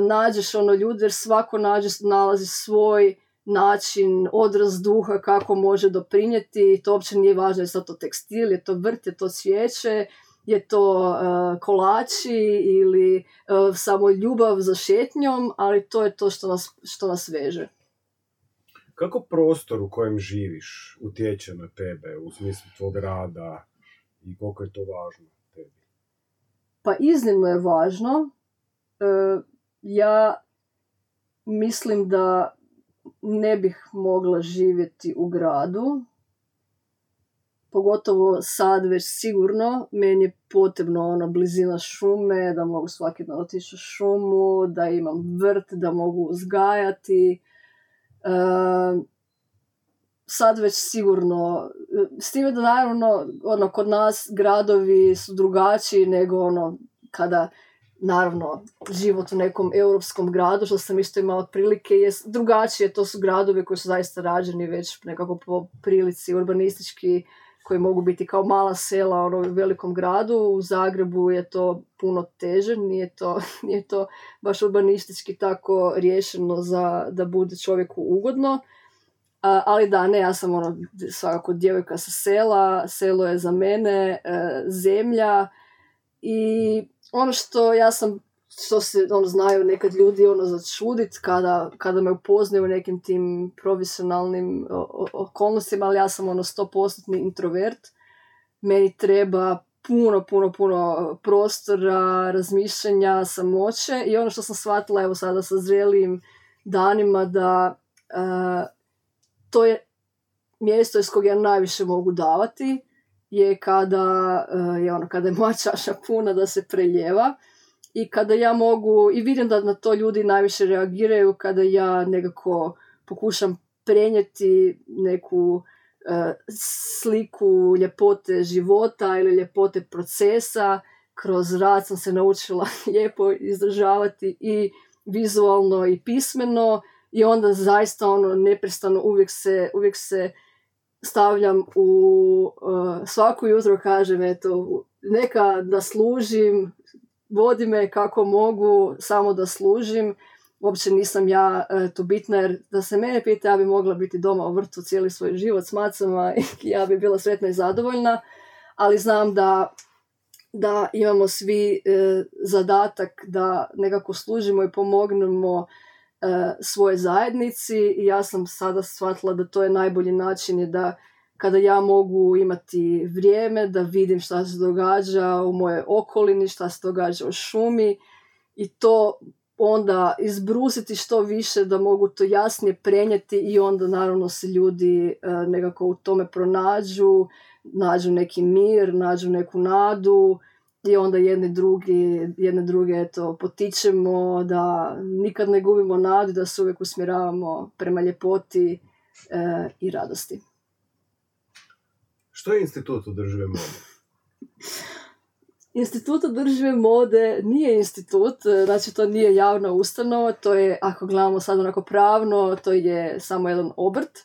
B: nađeš ljude, jer svako nalazi svoj način, odraz duha kako može doprinijeti. To uopće nije važno, je to tekstil, je to vrt, je to cvijeće, je to kolači ili samo ljubav za šetnjom, ali to je to što nas veže.
A: Kako prostor u kojem živiš utječe na tebe u smislu tvog rada i koliko je to važno tebi?
B: Pa iznimno je važno. Ja mislim da ne bih mogla živjeti u gradu. Pogotovo sad već sigurno. Meni je potrebno blizina šume, da mogu svaki dan otići u šumu, da imam vrt, da mogu uzgajati. Sad već sigurno, s time da naravno kod nas gradovi su drugačiji nego kada naravno život u nekom europskom gradu, što sam isto imala prilike, je drugačije. To su gradovi koji su zaista rađeni već nekako po prilici urbanistički, koji mogu biti kao mala sela u velikom gradu. U Zagrebu je to puno teže, nije to baš urbanistički tako riješeno da bude čovjeku ugodno. Ali da, ne, ja sam svakako djevojka sa sela, selo je za mene zemlja i što se znaju nekad ljudi začudit kada me upoznaju u nekim tim profesionalnim okolnostima, ali ja sam 100% introvert. Meni treba puno prostora, razmišljanja, samoće i što sam shvatila evo sada sa zrelijim danima da to je mjesto iz kojeg ja najviše mogu davati, je kada je moja čaša puna da se preljeva i kada ja mogu, i vidim da na to ljudi najviše reagiraju, kada ja nekako pokušam prenijeti neku sliku ljepote života ili ljepote procesa. Kroz rad sam se naučila lijepo izdržavati i vizualno i pismeno i onda zaista neprestano uvijek se stavljam u svako jutro kažem neka da služim, vodi me kako mogu, samo da služim. Uopće nisam ja tu bitna, jer da se mene pita, ja bi mogla biti doma u vrtu cijeli svoj život s macama i ja bi bila sretna i zadovoljna, ali znam da imamo svi zadatak da nekako služimo i pomognemo svoje zajednici i ja sam sada shvatila da to je najbolji način, je da kada ja mogu imati vrijeme da vidim šta se događa u mojoj okolini, šta se događa u šumi i to onda izbrusiti što više, da mogu to jasnije prenijeti i onda naravno se ljudi nekako u tome pronađu, nađu neki mir, nađu neku nadu i onda jedne druge potičemo da nikad ne gubimo nadu, da se uvijek usmjeravamo prema ljepoti i radosti.
A: Što je Institut održive mode?
B: Institut održive mode nije institut, znači to nije javna ustanova, to je, ako gledamo sad onako pravno, to je samo jedan obrt,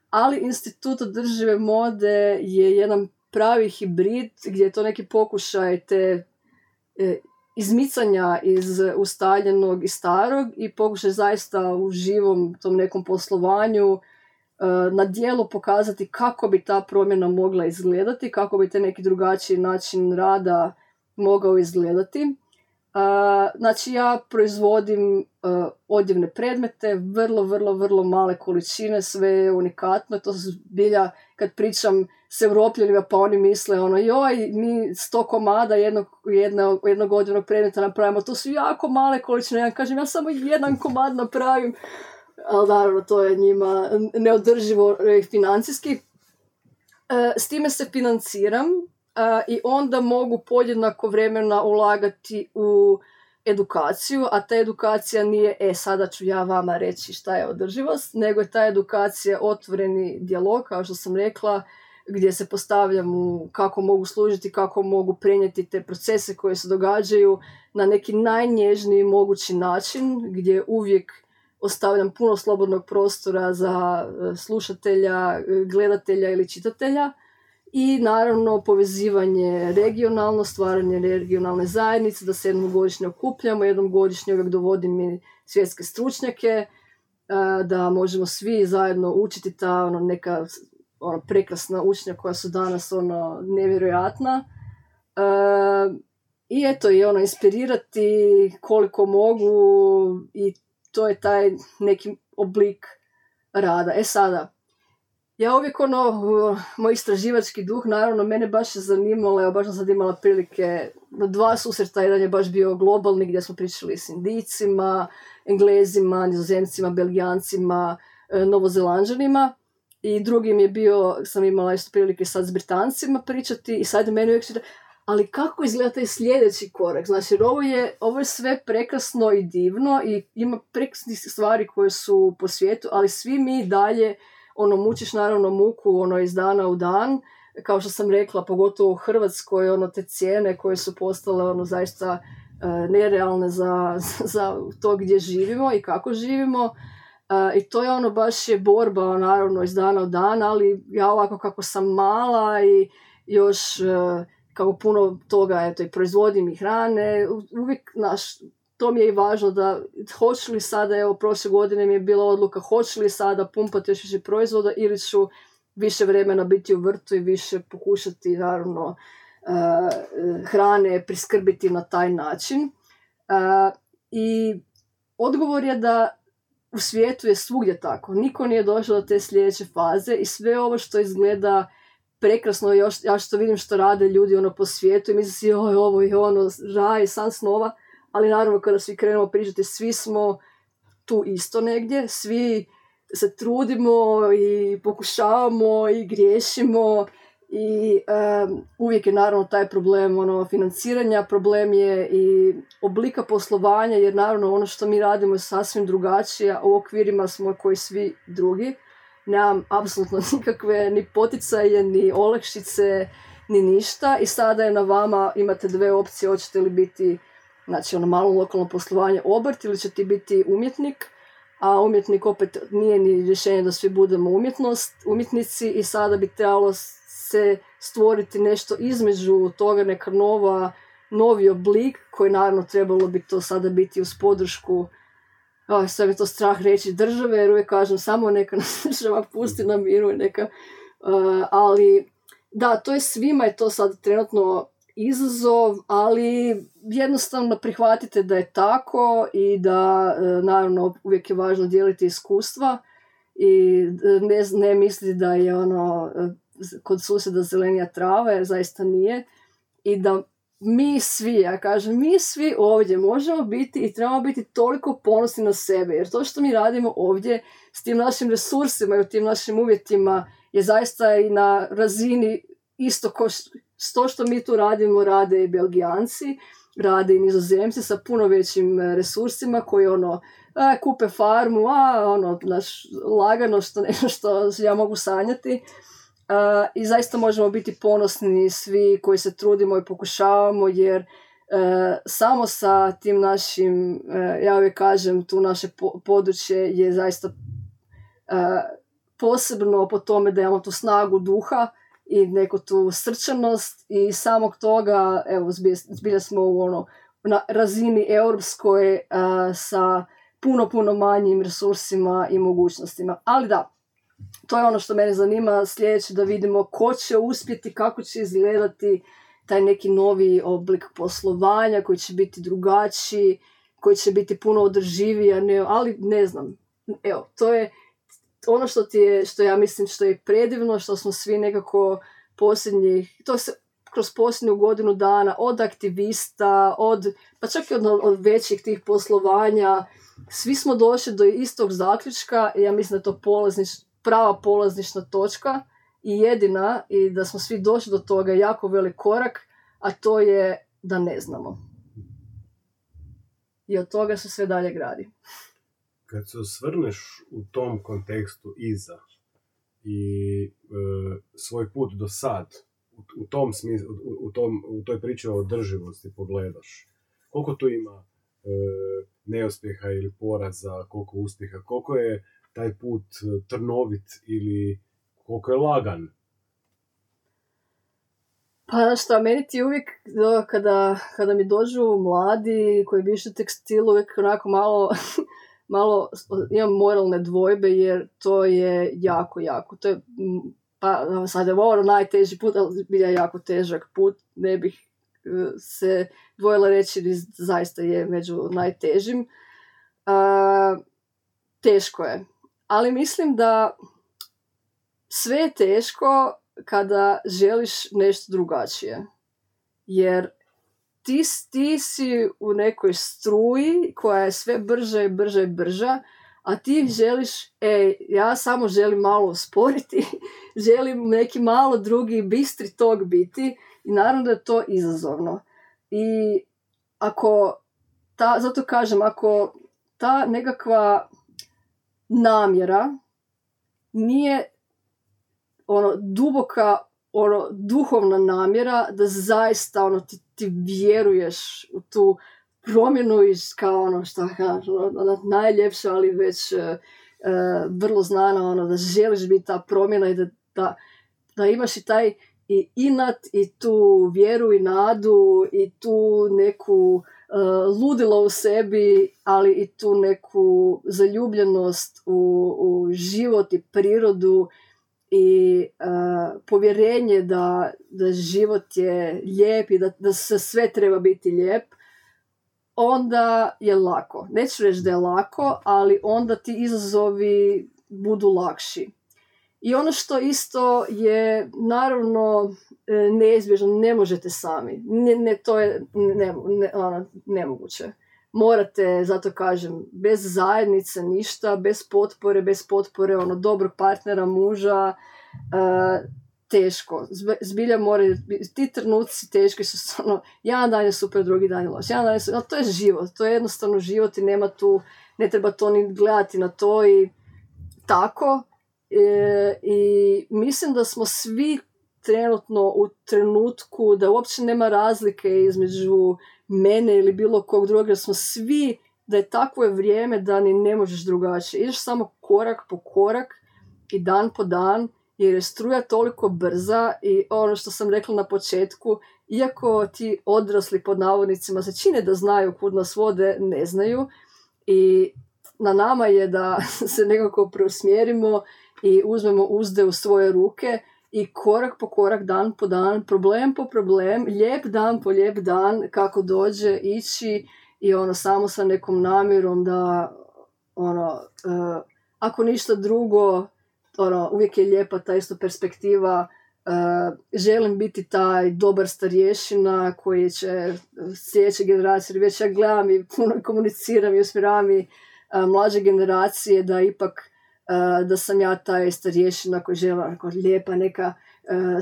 B: ali Institut održive mode je jedan pravi hibrid gdje je to neki pokušaj te izmicanja iz ustaljenog i starog i pokušaj zaista u živom tom nekom poslovanju na djelu pokazati kako bi ta promjena mogla izgledati, kako bi te neki drugačiji način rada mogao izgledati. Znači ja proizvodim odjevne predmete, vrlo male količine, sve je unikatno. To su zbilja, kad pričam s Europljanima, pa oni misle joj, mi 100 komada jednog odjevnog predmeta napravimo, to su jako male količine. Ja kažem, ja samo jedan komad napravim, ali naravno to je njima neodrživo financijski. S time se financiram i onda mogu podjednako vremena ulagati u edukaciju, a ta edukacija nije sada ću ja vama reći šta je održivost, nego je ta edukacija otvoreni dijalog, kao što sam rekla, gdje se postavljam kako mogu služiti, kako mogu prenijeti te procese koje se događaju na neki najnježniji mogući način, gdje uvijek ostavljam puno slobodnog prostora za slušatelja, gledatelja ili čitatelja. I naravno povezivanje regionalno, stvaranje regionalne zajednice, da se jednom godišnje okupljamo, jednom godišnje uvijek dovodim i svjetske stručnjake, da možemo svi zajedno učiti ta neka prekrasna učenja koja su danas nevjerojatna. I eto, i inspirirati koliko mogu, i to je taj neki oblik rada. Sada, ja uvijek moj istraživački duh, naravno, mene baš zanimalo, baš sam sad imala prilike, 2 susreta, jedan je baš bio globalni gdje smo pričali s Indijcima, Englezima, Nizozemcima, Belgijancima, Novozelanđanima, i drugi mi je bio, sam imala isto prilike sad s Britancima pričati, i sad meni uvijek čita, ali kako izgleda taj sljedeći korak? Znači, ovo je sve prekrasno i divno i ima prekrasnih stvari koje su po svijetu, ali svi mi dalje mučiš naravno muku iz dana u dan, kao što sam rekla, pogotovo u Hrvatskoj, te cijene koje su postale zaista nerealne za to gdje živimo i kako živimo. I to je baš je borba naravno iz dana u dan, ali ja ovako kako sam mala i još kako puno toga i proizvodim i hrane, uvijek to mi je i važno da hoću li sada, evo prošle godine mi je bila odluka, hoću li sada pumpati još više proizvoda ili ću više vremena biti u vrtu i više pokušati naravno hrane priskrbiti na taj način. I odgovor je da u svijetu je svugdje tako. Niko nije došao do te sljedeće faze i sve ovo što izgleda prekrasno, ja što vidim što rade ljudi po svijetu i mislim si ovo je raj, san snova, ali naravno kada svi krenemo pričati, svi smo tu isto negdje, svi se trudimo i pokušavamo i griješimo i uvijek je naravno taj problem financiranja, problem je i oblika poslovanja, jer naravno ono što mi radimo je sasvim drugačije, u okvirima smo koji svi drugi. Nemam apsolutno nikakve ni poticaje, ni olakšice, ni ništa, i sada je na vama, imate 2 opcije, hoćete li biti malo lokalno poslovanje, obrt, ili će ti biti umjetnik, a umjetnik opet nije ni rješenje da svi budemo umjetnici, i sada bi trebalo se stvoriti nešto između toga, neka novi oblik koji naravno trebalo bi to sada biti uz podršku, sve je to strah reći, države, jer uvijek kažem samo neka nas država pusti na miru i neka, ali da, to je svima je to sad trenutno izazov, ali jednostavno prihvatite da je tako i da naravno uvijek je važno dijeliti iskustva i ne misliti da je kod susjeda zelenija trava, jer zaista nije, i da mi svi, ja kažem, mi svi ovdje možemo biti i trebamo biti toliko ponosni na sebe, jer to što mi radimo ovdje s tim našim resursima i u tim našim uvjetima je zaista i na razini isto to što mi tu radimo, rade i Belgijanci, rade i Nizozemci sa puno većim resursima koji kupe farmu, lagano što ja mogu sanjati. I zaista možemo biti ponosni svi koji se trudimo i pokušavamo, jer samo sa tim našim, ja uvijek kažem, tu naše područje je zaista posebno po tome da imamo tu snagu duha i neku tu srčanost, i samog toga, evo, zbilja smo na razini europskoj sa puno manjim resursima i mogućnostima. Ali da, to je ono što mene zanima sljedeće, da vidimo ko će uspjeti, kako će izgledati taj neki novi oblik poslovanja koji će biti drugačiji, koji će biti puno održiviji, ali ne znam. Evo, to je ono što ja mislim što je predivno, što smo svi nekako to se kroz posljednju godinu dana, od aktivista, pa čak i od većih tih poslovanja, svi smo došli do istog zaključka, i ja mislim da je to prava polaznična točka i jedina, i da smo svi došli do toga jako velik korak, a to je da ne znamo. I od toga se sve dalje gradi.
A: Kad se osvrneš u tom kontekstu iza i svoj put do sad u tom smislu, u toj priči o održivosti pogledaš, koliko tu ima neuspjeha ili poraza, koliko uspjeha, koliko je taj put trnovit ili koliko je lagan?
B: Pa šta, meni ti uvijek, kada mi dođu mladi koji bi išli tekstilu, uvijek onako malo imam moralne dvojbe, jer to je jako, to je, pa sad je ovo najteži put, ali bilja jako težak put, ne bih se dvojila reći, zaista je među najtežim. Teško je, ali mislim da sve je teško kada želiš nešto drugačije, jer ti si u nekoj struji koja je sve brža, a ti želiš, ja samo želim malo usporiti, želim neki malo drugi bistri tok biti, i naravno da je to izazovno. I zato kažem, ako ta nekakva namjera nije duboka, duhovna namjera, da zaista ti vjeruješ u tu promjenu kao što najljepša, ali već vrlo znana, da želiš biti ta promjena i da imaš i taj i inat i tu vjeru i nadu i tu neku ludilo u sebi, ali i tu neku zaljubljenost u život i prirodu i povjerenje da život je lijep i da se sve treba biti lijep, onda je lako. Neću reći da je lako, ali onda ti izazovi budu lakši. I ono što isto je naravno neizbježno, ne možete sami. To je nemoguće. Morate, zato kažem, bez zajednice ništa, bez potpore dobrog partnera, muža, teško. Zbilja moraju, ti trenuci teški su jedan dan je super, drugi dan je loš. To je život, to je jednostavno život i nema tu, ne treba to ni gledati na to i tako. I mislim da smo svi trenutno u trenutku da uopće nema razlike između mene ili bilo kog drugog, jer smo svi, da je takvo je vrijeme da ni ne možeš drugačije. Ideš samo korak po korak i dan po dan, jer je struja toliko brza i ono što sam rekla na početku, iako ti odrasli pod navodnicima se čine da znaju kud nas vode, ne znaju, i na nama je da se nekako preusmjerimo i uzmemo uzde u svoje ruke i korak po korak, dan po dan, problem po problem, lijep dan po lijep dan, kako dođe, ići i samo sa nekom namjerom da ako ništa drugo, uvijek je lijepa ta isto perspektiva, želim biti taj dobar starješina koji će sljedeće generacije, već ja gledam i puno komuniciram i usmjeravam i mlađe generacije, da ipak da sam ja taj starješina koji žele lijepa neka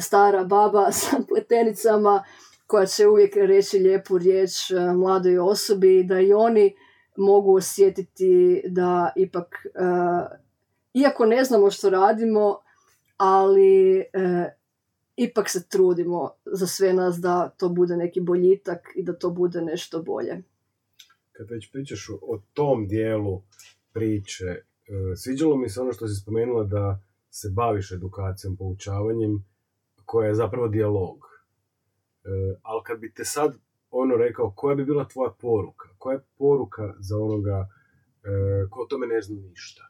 B: stara baba sa pletenicama koja će uvijek reći lijepu riječ mladoj osobi, da i oni mogu osjetiti da ipak, iako ne znamo što radimo, ali ipak se trudimo za sve nas da to bude neki boljitak i da to bude nešto bolje.
A: Kad već pričaš o tom dijelu priče, sviđalo mi se ono što si spomenula da se baviš edukacijom, poučavanjem, koja je zapravo dijalog. Ali kad bi te sad rekao, koja bi bila tvoja poruka? Koja je poruka za onoga ko o tome ne zna ništa?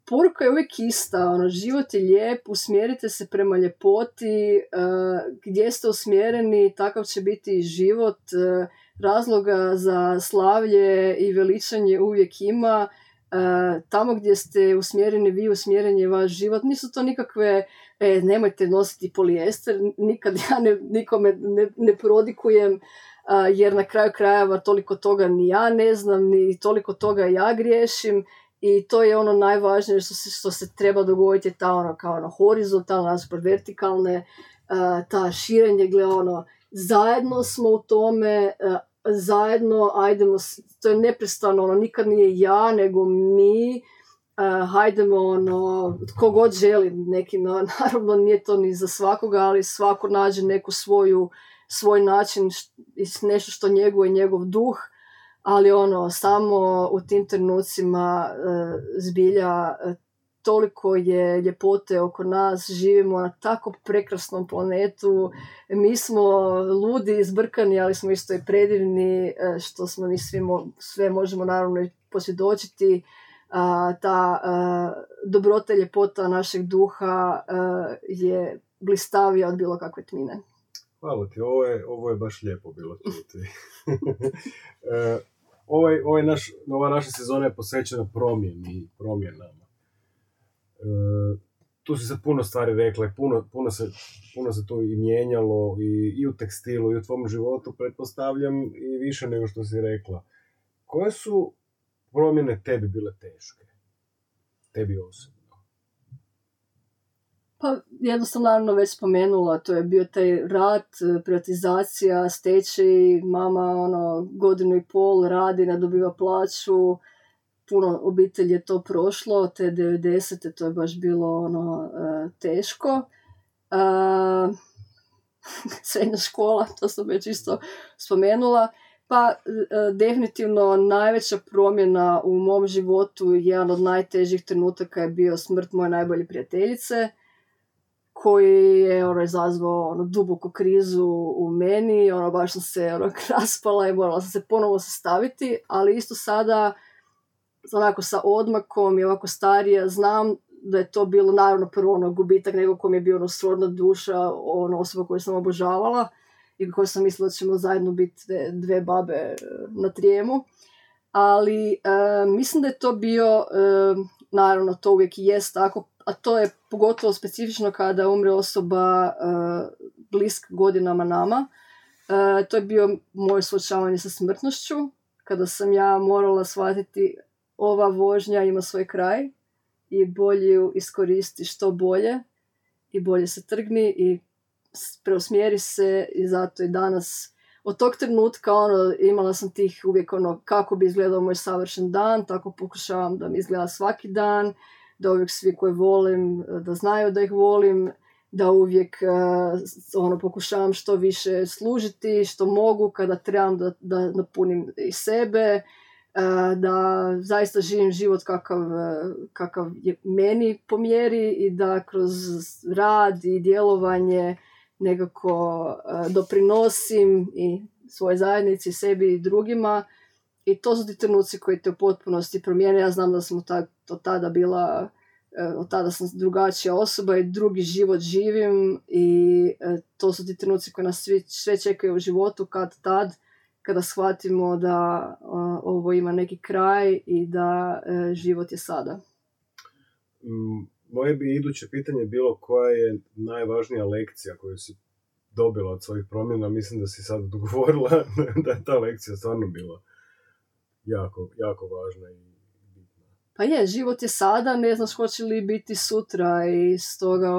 B: Poruka je uvijek ista, život je lijep, usmjerite se prema ljepoti, gdje ste usmjereni, takav će biti život, razloga za slavlje i veličanje uvijek ima, tamo gdje ste usmjereni vi, usmjeren je vaš život, nisu to nikakve, nemojte nositi polijester, nikad ja nikome ne prodikujem, jer na kraju krajeva toliko toga ni ja ne znam, ni toliko toga ja griješim. I to je najvažnije što se treba dogoditi, ta kao horizontalna, vertikalne, ta širenje, zajedno smo u tome, zajedno, ajdemo, to je neprestano, nikad nije ja, nego mi, hajdemo, ono, tko god želi, neki, no, naravno nije to ni za svakoga, ali svako nađe neku svoj način, nešto što njeguje njegov duh, ali ono, samo u tim trenucima zbilja toliko je ljepote oko nas, živimo na tako prekrasnom planetu, mi smo ludi, izbrkani, ali smo isto i predivni, što smo mi sve možemo naravno i posvjedočiti. Ta dobrota i ljepota našeg duha je blistavija od bilo kakve tmine.
A: Hvala ti, ovo je baš lijepo bilo čuti. Ova naša sezona je posvećena promjenama. Tu si se puno stvari rekla, puno se to i mijenjalo i u tekstilu i u tvom životu, pretpostavljam, i više nego što si rekla. Koje su promjene tebi bile teške? Tebi osobno?
B: Pa jednostavno, naravno, već spomenula, to je bio taj rat, privatizacija, stečaj, mama godinu i pol radi, ne dobiva plaću, puno obitelji je to prošlo, te 90. to je baš bilo teško. Srednja škola, to sam već isto spomenula. Pa definitivno najveća promjena u mom životu, jedan od najtežih trenutaka je bio smrt moje najbolje prijateljice, koji je izazvao duboku krizu u meni, baš sam se raspala i morala sam se ponovo sastaviti, ali isto sada onako sa odmakom i ovako starija znam da je to bilo naravno prvo gubitak nego kom je bio srodna duša, osoba koju sam obožavala i koju sam mislila da ćemo zajedno biti dve babe na trijemu. Ali mislim da je to bio, naravno to uvijek i jest tako, a to je pogotovo specifično kada umre osoba bliska godinama nama. To je bio moje suočavanje sa smrtnošću, kada sam ja morala shvatiti ova vožnja ima svoj kraj i bolje ju iskoristi što bolje i bolje se trgni i preusmjeri se, i zato i danas od tog trenutka imala sam tih uvijek kako bi izgledao moj savršen dan, tako pokušavam da mi izgleda svaki dan, da uvijek svi koje volim da znaju da ih volim, da uvijek pokušavam što više služiti, što mogu kada trebam da napunim i sebe, da zaista živim život kakav je meni po mjeri i da kroz rad i djelovanje nekako doprinosim i svojoj zajednici, sebi i drugima, i to su ti trenuci koji te u potpunosti promijene. Ja znam da sam od tada sam drugačija osoba i drugi život živim, i to su ti trenuci koji nas sve čekaju u životu kad kada shvatimo da ovo ima neki kraj i da život je sada.
A: Moje bi iduće pitanje bilo koja je najvažnija lekcija koju si dobila od svojih promjena. Mislim da si sad dogovorila da je ta lekcija stvarno bila jako, jako važna i bitna.
B: Pa je, život je sada, ne znaš hoće li biti sutra, i stoga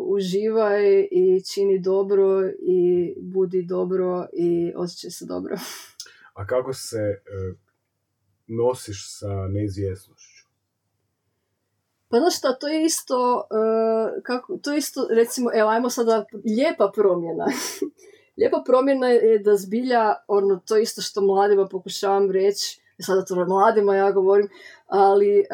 B: uživaj i čini dobro i budi dobro i osjećaj se dobro.
A: A kako se nosiš sa neizvjesnošću?
B: Pa znaš šta, to je isto, recimo, evo, ajmo sada, lijepa promjena. Lijepa promjena je da zbilja, to isto što mladima pokušavam reći, sada to mladima ja govorim, ali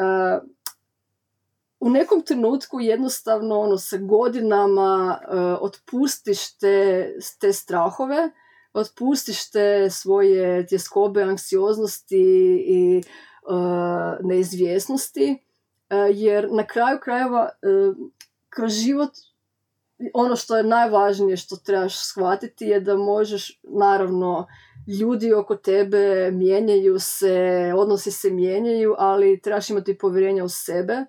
B: u nekom trenutku jednostavno sa godinama otpustiš te strahove, otpustiš te svoje tjeskobe, anksioznosti i neizvjesnosti, jer na kraju krajeva kroz život ono što je najvažnije što trebaš shvatiti je da možeš, naravno, ljudi oko tebe mijenjaju se, odnosi se mijenjaju, ali trebaš imati povjerenja u sebe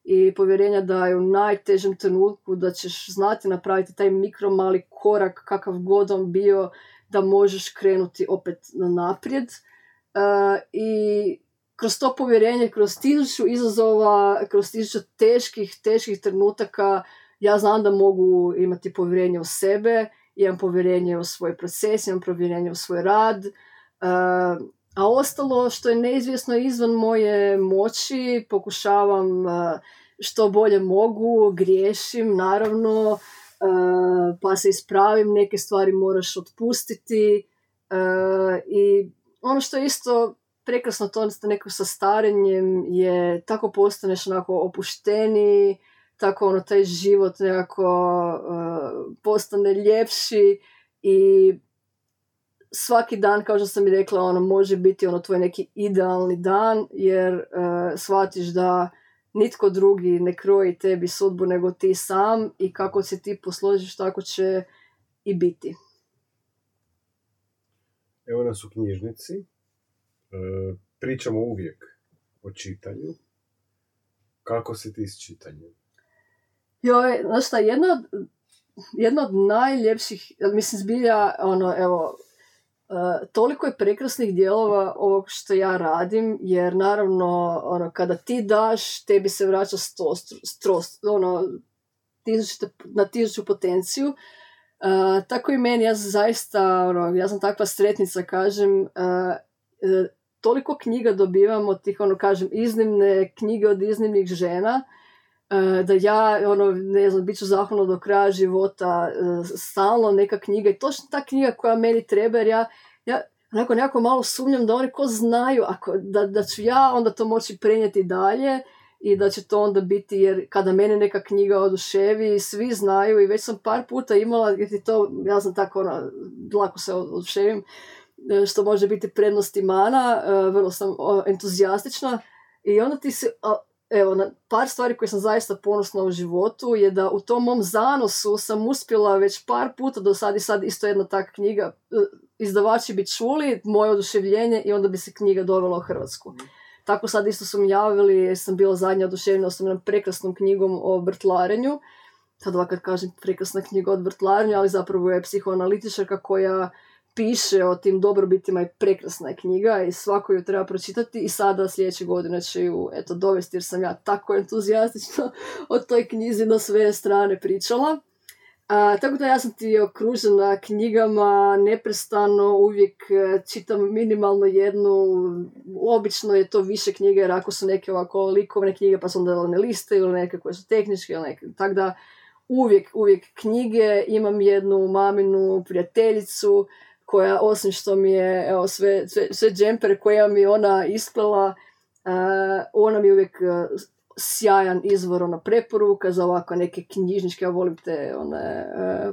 B: i povjerenja da je u najtežem trenutku da ćeš znati napraviti taj mikro mali korak kakav god on bio, da možeš krenuti opet naprijed. I kroz to povjerenje, kroz 1000 izazova, kroz 1000 teških trenutaka, ja znam da mogu imati povjerenje u sebe, imam povjerenje u svoj proces, imam povjerenje u svoj rad, A ostalo što je neizvjesno izvan moje moći, pokušavam što bolje mogu, griješim naravno, pa se ispravim, neke stvari moraš otpustiti i ono što je isto prekrasno to neko sa starenjem je tako postaneš onako opušteniji, tako taj život nekako postane ljepši i svaki dan, kao što sam i rekla, može biti tvoj neki idealni dan, jer shvatiš da nitko drugi ne kroji tebi sudbu nego ti sam i kako se ti posložiš, tako će i biti.
A: Evo nas u knjižnici. Pričamo uvijek o čitanju. Kako si ti s čitanjem?
B: Joj, znaš šta, jedna od najljepših, mislim zbilja, toliko je prekrasnih dijelova ovog što ja radim, jer naravno, kada ti daš, tebi se vraća na 1000 potenciju. Tako i meni, ja sam takva sretnica, kažem, toliko knjiga dobivam od tih, iznimne knjige od iznimnih žena, da ja, bit ću zahvalna do kraja života, stalno neka knjiga i točno ta knjiga koja meni treba, jer ja nekako malo sumnjam da oni ko znaju, da ću ja onda to moći prenijeti dalje i da će to onda biti, jer kada mene neka knjiga oduševi, svi znaju i već sam par puta imala, jer to, ja sam tako, lako se oduševim, što može biti prednost i mana, vrlo sam entuzijastična i onda ti se... Evo, na par stvari koje sam zaista ponosna u životu je da u tom mom zanosu sam uspjela već par puta do sad i sad isto jedna takva knjiga, izdavači bi čuli moje oduševljenje i onda bi se knjiga dovela u Hrvatsku. Tako sad isto su mi javili, jer sam bila zadnja oduševljena s jednom prekrasnom knjigom o vrtlarenju. Sad ovakad kažem prekrasna knjiga o vrtlarenju, ali zapravo je psihoanalitičarka koja piše o tim dobrobitima i prekrasna je knjiga i svako ju treba pročitati i sada sljedeće godine će ju dovesti jer sam ja tako entuzijastično o toj knjizi na sve strane pričala. Tako da ja sam ti okružena knjigama, neprestano uvijek čitam minimalno jednu, obično je to više knjige jer ako su neke ovako likovne knjige pa su onda ne liste ili neke koje su tehničke ili neke, tako da uvijek knjige, imam jednu maminu prijateljicu koja osim što mi je sve džempere koje mi ona isplela, ona mi je uvijek sjajan izvor preporuka za ovako neke knjižničke, ja volim te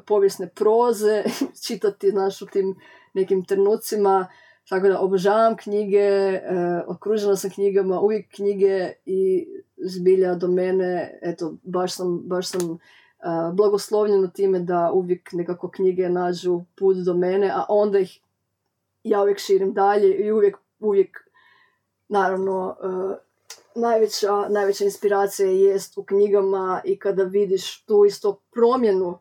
B: povijesne proze čitati u tim nekim trenucima, tako da obožavam knjige, okružena sam knjigama, uvijek knjige i zbilja do mene, baš sam blagoslovljeno time da uvijek nekako knjige nađu put do mene, a onda ih ja uvijek širim dalje i uvijek naravno najveća inspiracija jest u knjigama i kada vidiš tu isto promjenu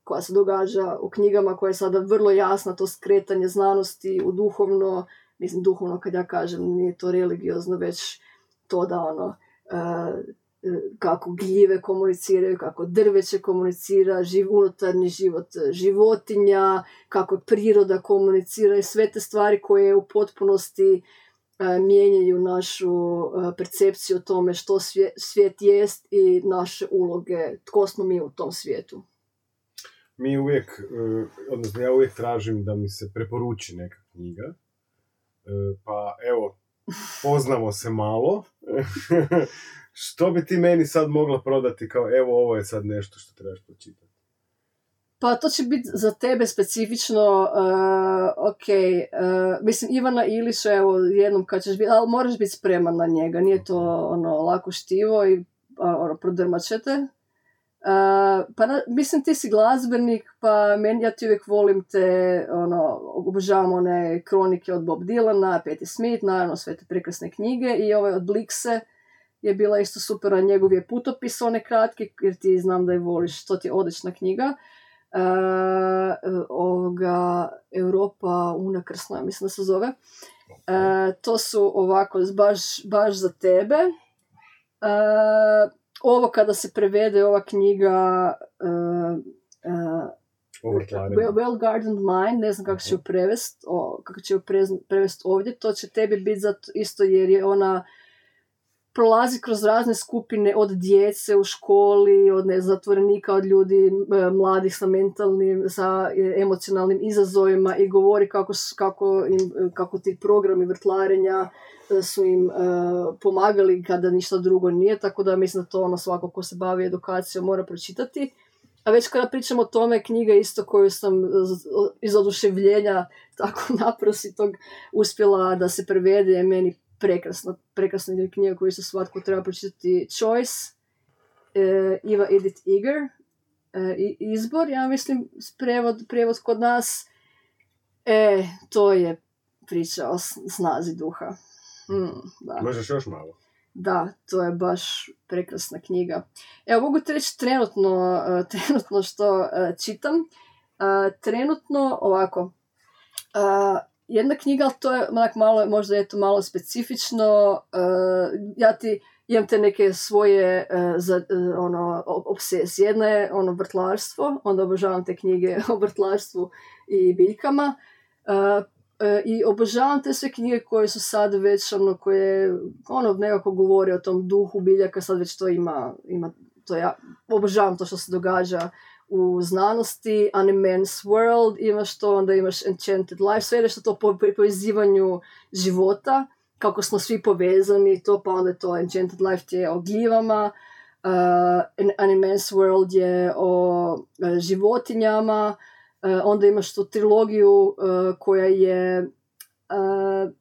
B: koja se događa u knjigama koja je sada vrlo jasna, to skretanje znanosti u duhovno, mislim duhovno kad ja kažem nije to religiozno, već to da kako gljive komuniciraju, kako drveće komunicira, unutarnji život životinja, kako priroda komunicira i sve te stvari koje u potpunosti mijenjaju našu percepciju o tome što svijet jest i naše uloge, tko smo mi u tom svijetu.
A: Mi uvijek, odnosno ja uvijek tražim da mi se preporuči neka knjiga, pa evo, poznamo se malo. Što bi ti meni sad mogla prodati kao evo ovo je sad nešto što trebaš pročitati?
B: Pa to će biti za tebe specifično, mislim Ivana Ilića, evo jednom kad ćeš biti, ali moraš biti spreman na njega, nije to lako štivo i prodrmat ćete. Mislim ti si glazbenik, pa ja ti uvijek volim te, obožavam one kronike od Bob Dylana, Patti Smith, naravno sve te prekrasne knjige i ove od Blixe je bila isto super, a njegov je putopis one kratke, jer ti znam da je voliš, to ti je odlična knjiga. Europa unakrsna, mislim da se zove. To su ovako baš za tebe. Ovo kada se prevede ova knjiga Well Gardened Mind, ne znam kako će ju prevest ovdje, to će tebi biti zato isto jer je ona prolazi kroz razne skupine od djece u školi, od zatvorenika, od ljudi mladih sa mentalnim, sa emocionalnim izazovima i govori kako ti programi vrtlarenja su im pomagali kada ništa drugo nije, tako da mislim da to ono svako ko se bavi edukacijom mora pročitati. A već kada pričamo o tome, knjiga isto koju sam iz oduševljenja tako naprositog uspjela da se prevede, je meni prekrasna knjiga koju se svatko treba pročitati, Choice, Eva Edith Eger, Izbor, ja mislim, prijevod kod nas. To je priča o snazi duha. Da.
A: Možeš još malo?
B: Da, to je baš prekrasna knjiga. Evo, mogu ti reći trenutno što čitam. Trenutno, ovako, jedna knjiga, ali to je malo, možda je to malo specifično. Ja imam te neke svoje obsesije. Jedna je vrtlarstvo, onda obožavam te knjige o vrtlarstvu i biljkama. I obožavam te sve knjige koje su sad već koje nekako govore o tom duhu biljaka, sad već to ima to ja obožavam to što se događa u znanosti. Animen's World imaš to, onda imaš Enchanted Life, sve nešto to po povezivanju života, kako smo svi povezani, to pa onda je to Enchanted Life je o gljivama, Animen's World je o životinjama. Onda imaš tu trilogiju koja je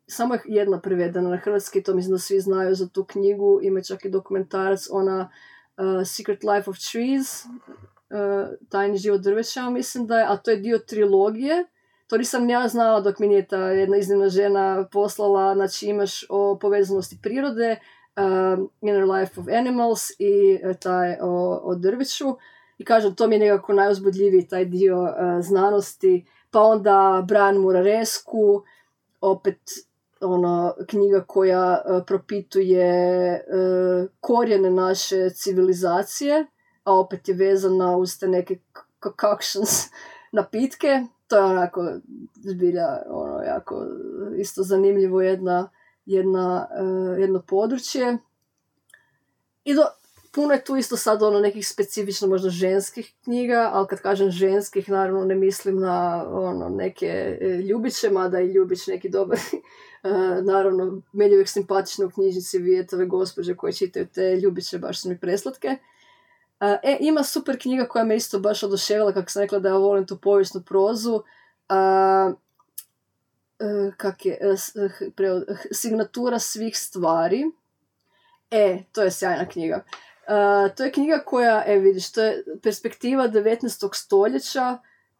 B: samo jedna prevedena na hrvatski, to mislim da svi znaju za tu knjigu, ima čak i dokumentarac, ona Secret Life of Trees, Tajni život drveća, mislim da je, a to je dio trilogije. To nisam ja znala dok mi nije ta jedna iznimna žena poslala, znači imaš o povezanosti prirode, Inner Life of Animals i taj o drveću. I kažem, to mi je nekako najuzbudljiviji taj dio znanosti. Pa onda Brian Muraresku, opet knjiga koja propituje korijene naše civilizacije, a opet je vezana uz te neke concoctions napitke. To je onako zbilja jako isto zanimljivo jedno područje. I puno je tu isto sad nekih specifično možda ženskih knjiga, ali kad kažem ženskih, naravno ne mislim na neke ljubiće, mada i ljubić neki dobar. Naravno, meni je uvijek simpatično u knjižnici vidjeti ove gospođe koje čitaju te ljubiće, baš su mi preslatke. Ima super knjiga koja me isto baš oduševila, kako sam rekla da ja volim tu povijesnu prozu. Signatura svih stvari. To je sjajna knjiga. To je knjiga koja, vidiš, to je perspektiva 19. stoljeća,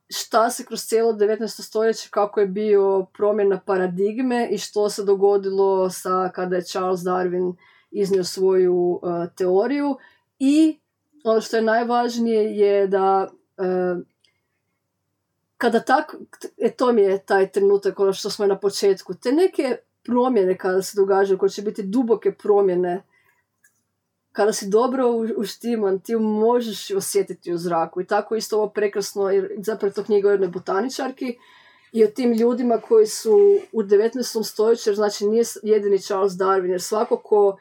B: šta se kroz cijelo 19. stoljeće, kako je bio promjena paradigme i što se dogodilo kada je Charles Darwin iznio svoju teoriju. I ono što je najvažnije je da kada to mi je taj trenutak, ono što smo na početku, te neke promjene kada se događaju, koje će biti duboke promjene, kada si dobro uštiman, ti možeš osjetiti u zraku. I tako isto ovo prekrasno, jer zapravo to knjiga o jednoj botaničarki i o tim ljudima koji su u 19. stoljeću, jer znači nije jedini Charles Darwin, jer svako ko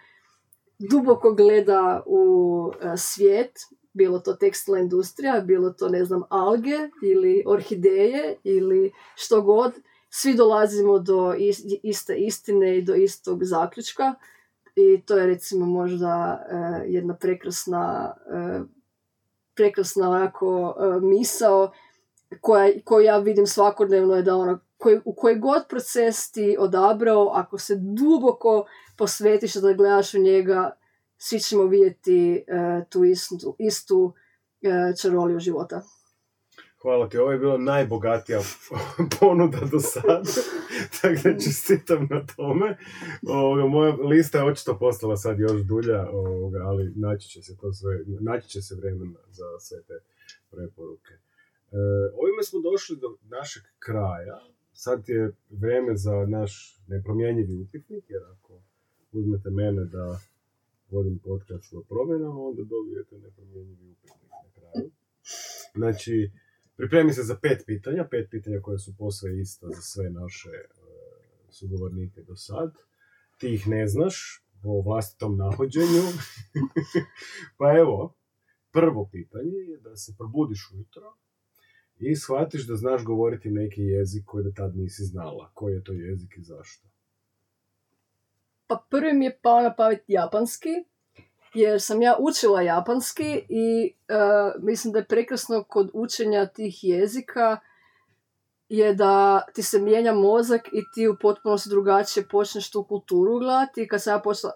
B: duboko gleda u svijet, bilo to tekstilna industrija, bilo to, ne znam, alge ili orhideje ili što god, svi dolazimo do iste istine i do istog zaključka. I to je recimo možda jedna prekrasna onako misao koju ja vidim svakodnevno, je da u koji god proces ti odabrao, ako se duboko posvetiš da gledaš u njega, svi ćemo vidjeti tu istu čaroliju života.
A: Hvala ti, ovo je bila najbogatija ponuda do sada, tako da čestitam na tome. Moja lista je očito postala sad još dulja, ali naći će se vremena za sve te preporuke. Ovime smo došli do našeg kraja. Sad je vrijeme za naš nepromjenjivi upitnik, jer ako uzmete mene da vodim podcast o promjenama, onda dobijete nepromjenjivi upitnik na kraju. Znači, Pripremi se za 5 pitanja, 5 pitanja koje su posve ista za sve naše sugovornike do sad. Ti ih ne znaš po vlastitom nahođenju. Pa evo, prvo pitanje je da se probudiš ujutro i shvatiš da znaš govoriti neki jezik koji do tad nisi znala. Koji je to jezik i zašto?
B: Pa prvi mi je pao na pamet japanski, jer sam ja učila japanski i mislim da je prekrasno kod učenja tih jezika je da ti se mijenja mozak i ti u potpunosti drugačije počneš tu kulturu gledati. Kad sam ja počela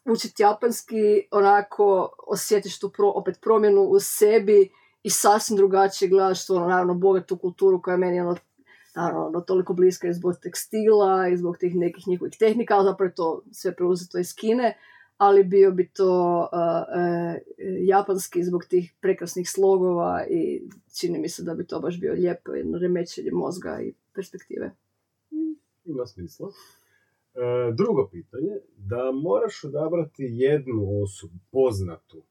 B: učiti japanski, onako osjetiš tu opet promjenu u sebi i sasvim drugačije gledaš tu, naravno, bogatu kulturu koja je meni naravno toliko bliska i zbog tekstila i zbog tih nekih njihovih tehnika, ali zapravo je to sve preuzeto iz Kine, ali bio bi to japanski zbog tih prekrasnih slogova i čini mi se da bi to baš bio lijepo jedno remećenje mozga i perspektive.
A: Ima smisla. Drugo pitanje, da moraš odabrati jednu osobu, poznatu,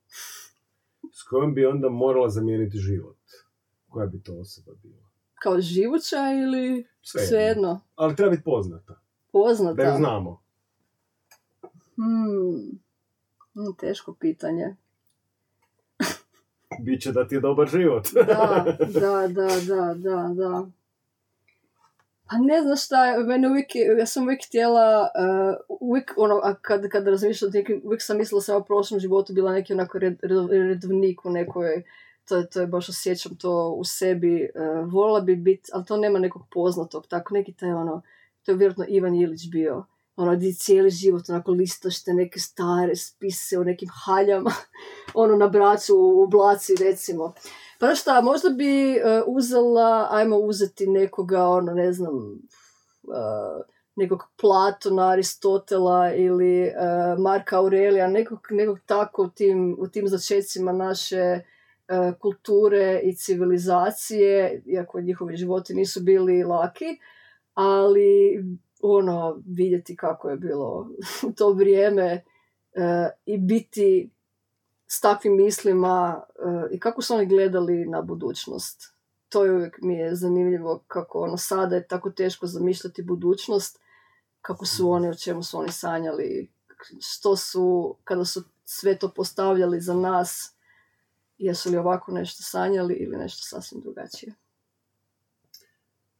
A: s kojom bi onda morala zamijeniti život. Koja bi to osoba bila?
B: Kao živuća ili svejedno?
A: Ali treba biti poznata.
B: Poznata?
A: Da ju znamo.
B: Teško pitanje.
A: Biće da ti je dobar život.
B: Da. Pa ne znam šta, ja sam uvijek htjela, kad razmišljam, uvijek sam mislila sam u prošlom životu bila neki onako redovnik u nekoj, to je baš osjećam to u sebi, volila bi biti, ali to nema nekog poznatog, tako neki taj to je vjerojatno Ivan Ilić bio, gdje cijeli život onako listaš te neke stare spise o nekim haljama, na bracu u Blaci recimo. Pa šta, možda bi ajmo uzeti nekoga, nekog Platona, Aristotela ili Marka Aurelija, nekog tako u tim začecima naše kulture i civilizacije, iako njihovi životi nisu bili laki, ali vidjeti kako je bilo u to vrijeme i biti s takvim mislima i kako su oni gledali na budućnost. To je uvijek mi je zanimljivo kako sada je tako teško zamišljati budućnost, kako su oni, o čemu su oni sanjali, što su, kada su sve to postavljali za nas, jesu li ovako nešto sanjali ili nešto sasvim drugačije.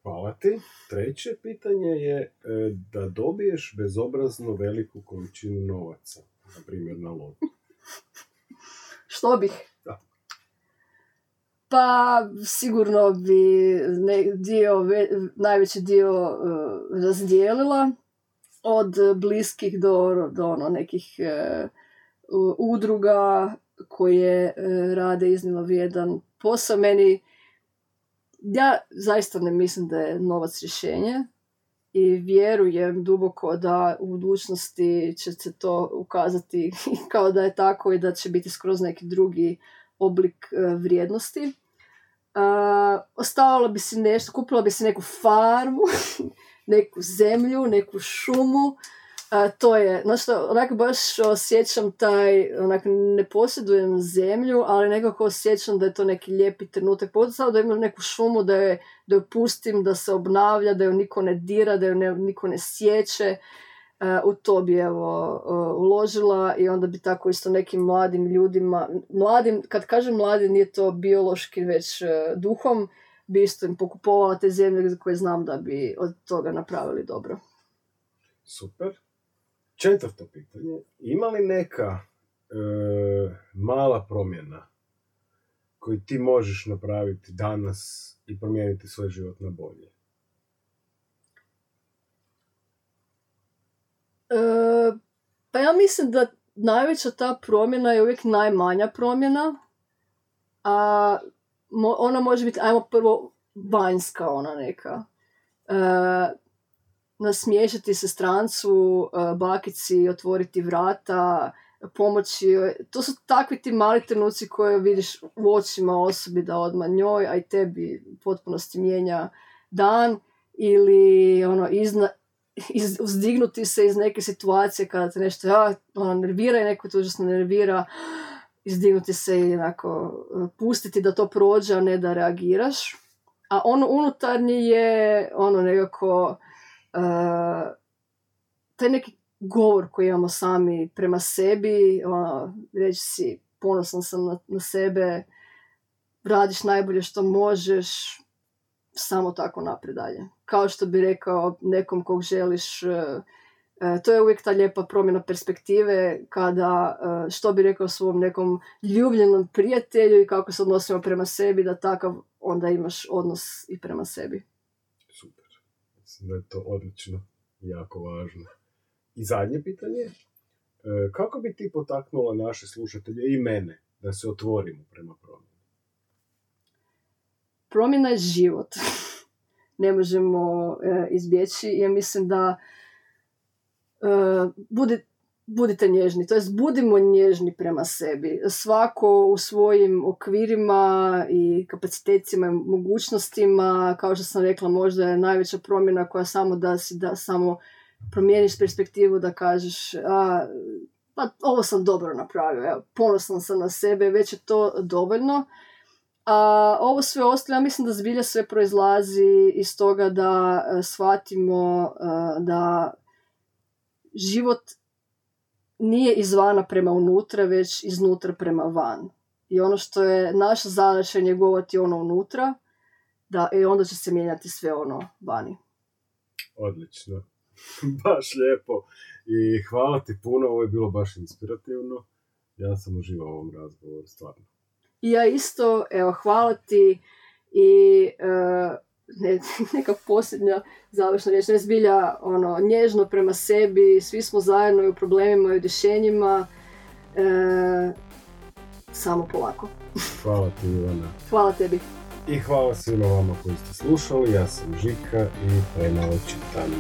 A: Hvala ti. Treće pitanje je da dobiješ bezobrazno veliku količinu novaca, na primjer na lotu.
B: Što bih?
A: Da.
B: Pa sigurno bi najveći dio razdijelila od bliskih do nekih udruga koje rade iznimno vrijedan posao. Ja zaista ne mislim da je novac rješenje i vjerujem duboko da u budućnosti će se to ukazati kao da je tako i da će biti skroz neki drugi oblik vrijednosti. Ostavila bi si nešto, kupila bi si neku farmu, neku zemlju, neku šumu. To je, onako baš osjećam ne posjedujem zemlju, ali nekako osjećam da je to neki lijepi trenutak. Pogotovo da imam neku šumu, da ju pustim, da se obnavlja, da ju niko ne dira, da ju niko ne sjeće. U to bi uložila i onda bi tako isto nekim mladim ljudima, kad kažem mladi, nije to biološki već duhom, bi isto im pokupovala te zemlje za koje znam da bi od toga napravili dobro.
A: Super. Četvrto pitanje. Ima li neka mala promjena koju ti možeš napraviti danas i promijeniti svoj život na bolje?
B: Pa ja mislim da najveća ta promjena je uvijek najmanja promjena, a ona može biti, ajmo prvo, vanjska neka. Nasmiješiti se strancu, bakici, otvoriti vrata, pomoći. To su takvi ti mali trenuci koje vidiš u očima osobi da odmah njoj, a i tebi u potpunosti mijenja dan. Ili uzdignuti se iz neke situacije kada te nešto nervira i neko te užasno nervira. izdignuti se i onako pustiti da to prođe, a ne da reagiraš. A ono unutarnji je ono nekako taj neki govor koji imamo sami prema sebi, ono, reći si ponosan sam na sebe, radiš najbolje što možeš, samo tako naprijed dalje. Kao što bi rekao nekom kog želiš, to je uvijek ta lijepa promjena perspektive kada, što bi rekao svom nekom ljubljenom prijatelju i kako se odnosimo prema sebi, da takav onda imaš odnos i prema sebi.
A: Super. Mislim da je to odlično i jako važno. I zadnje pitanje, kako bi ti potaknula naše slušatelje i mene da se otvorimo prema promjeni?
B: Promjena je život. Ne možemo izbjeći. Ja mislim da budite nježni, to jest budimo nježni prema sebi. Svako u svojim okvirima i kapacitetima i mogućnostima, kao što sam rekla, možda je najveća promjena koja samo da samo promijeniš perspektivu, da kažeš pa ovo sam dobro napravio, evo, ponosan sam na sebe, već je to dovoljno. A ovo sve ostalo, ja mislim da zbilja sve proizlazi iz toga da shvatimo da život nije izvana prema unutra, već iznutra prema van. I ono što je naša zadaća je njegovati ono unutra, i onda će se mijenjati sve ono vani.
A: Odlično. Baš lijepo. I hvala ti puno, ovo je bilo baš inspirativno. Ja sam uživao u ovom razgovoru, stvarno.
B: I ja isto, evo, hvala ti i neka posljednja završna riječ, ne zbilja nježno prema sebi, svi smo zajedno i u problemima i u rješenjima, samo polako.
A: Hvala ti, Ivana.
B: Hvala tebi.
A: I hvala svima vama koji ste slušali, ja sam Žika i premalo čitam.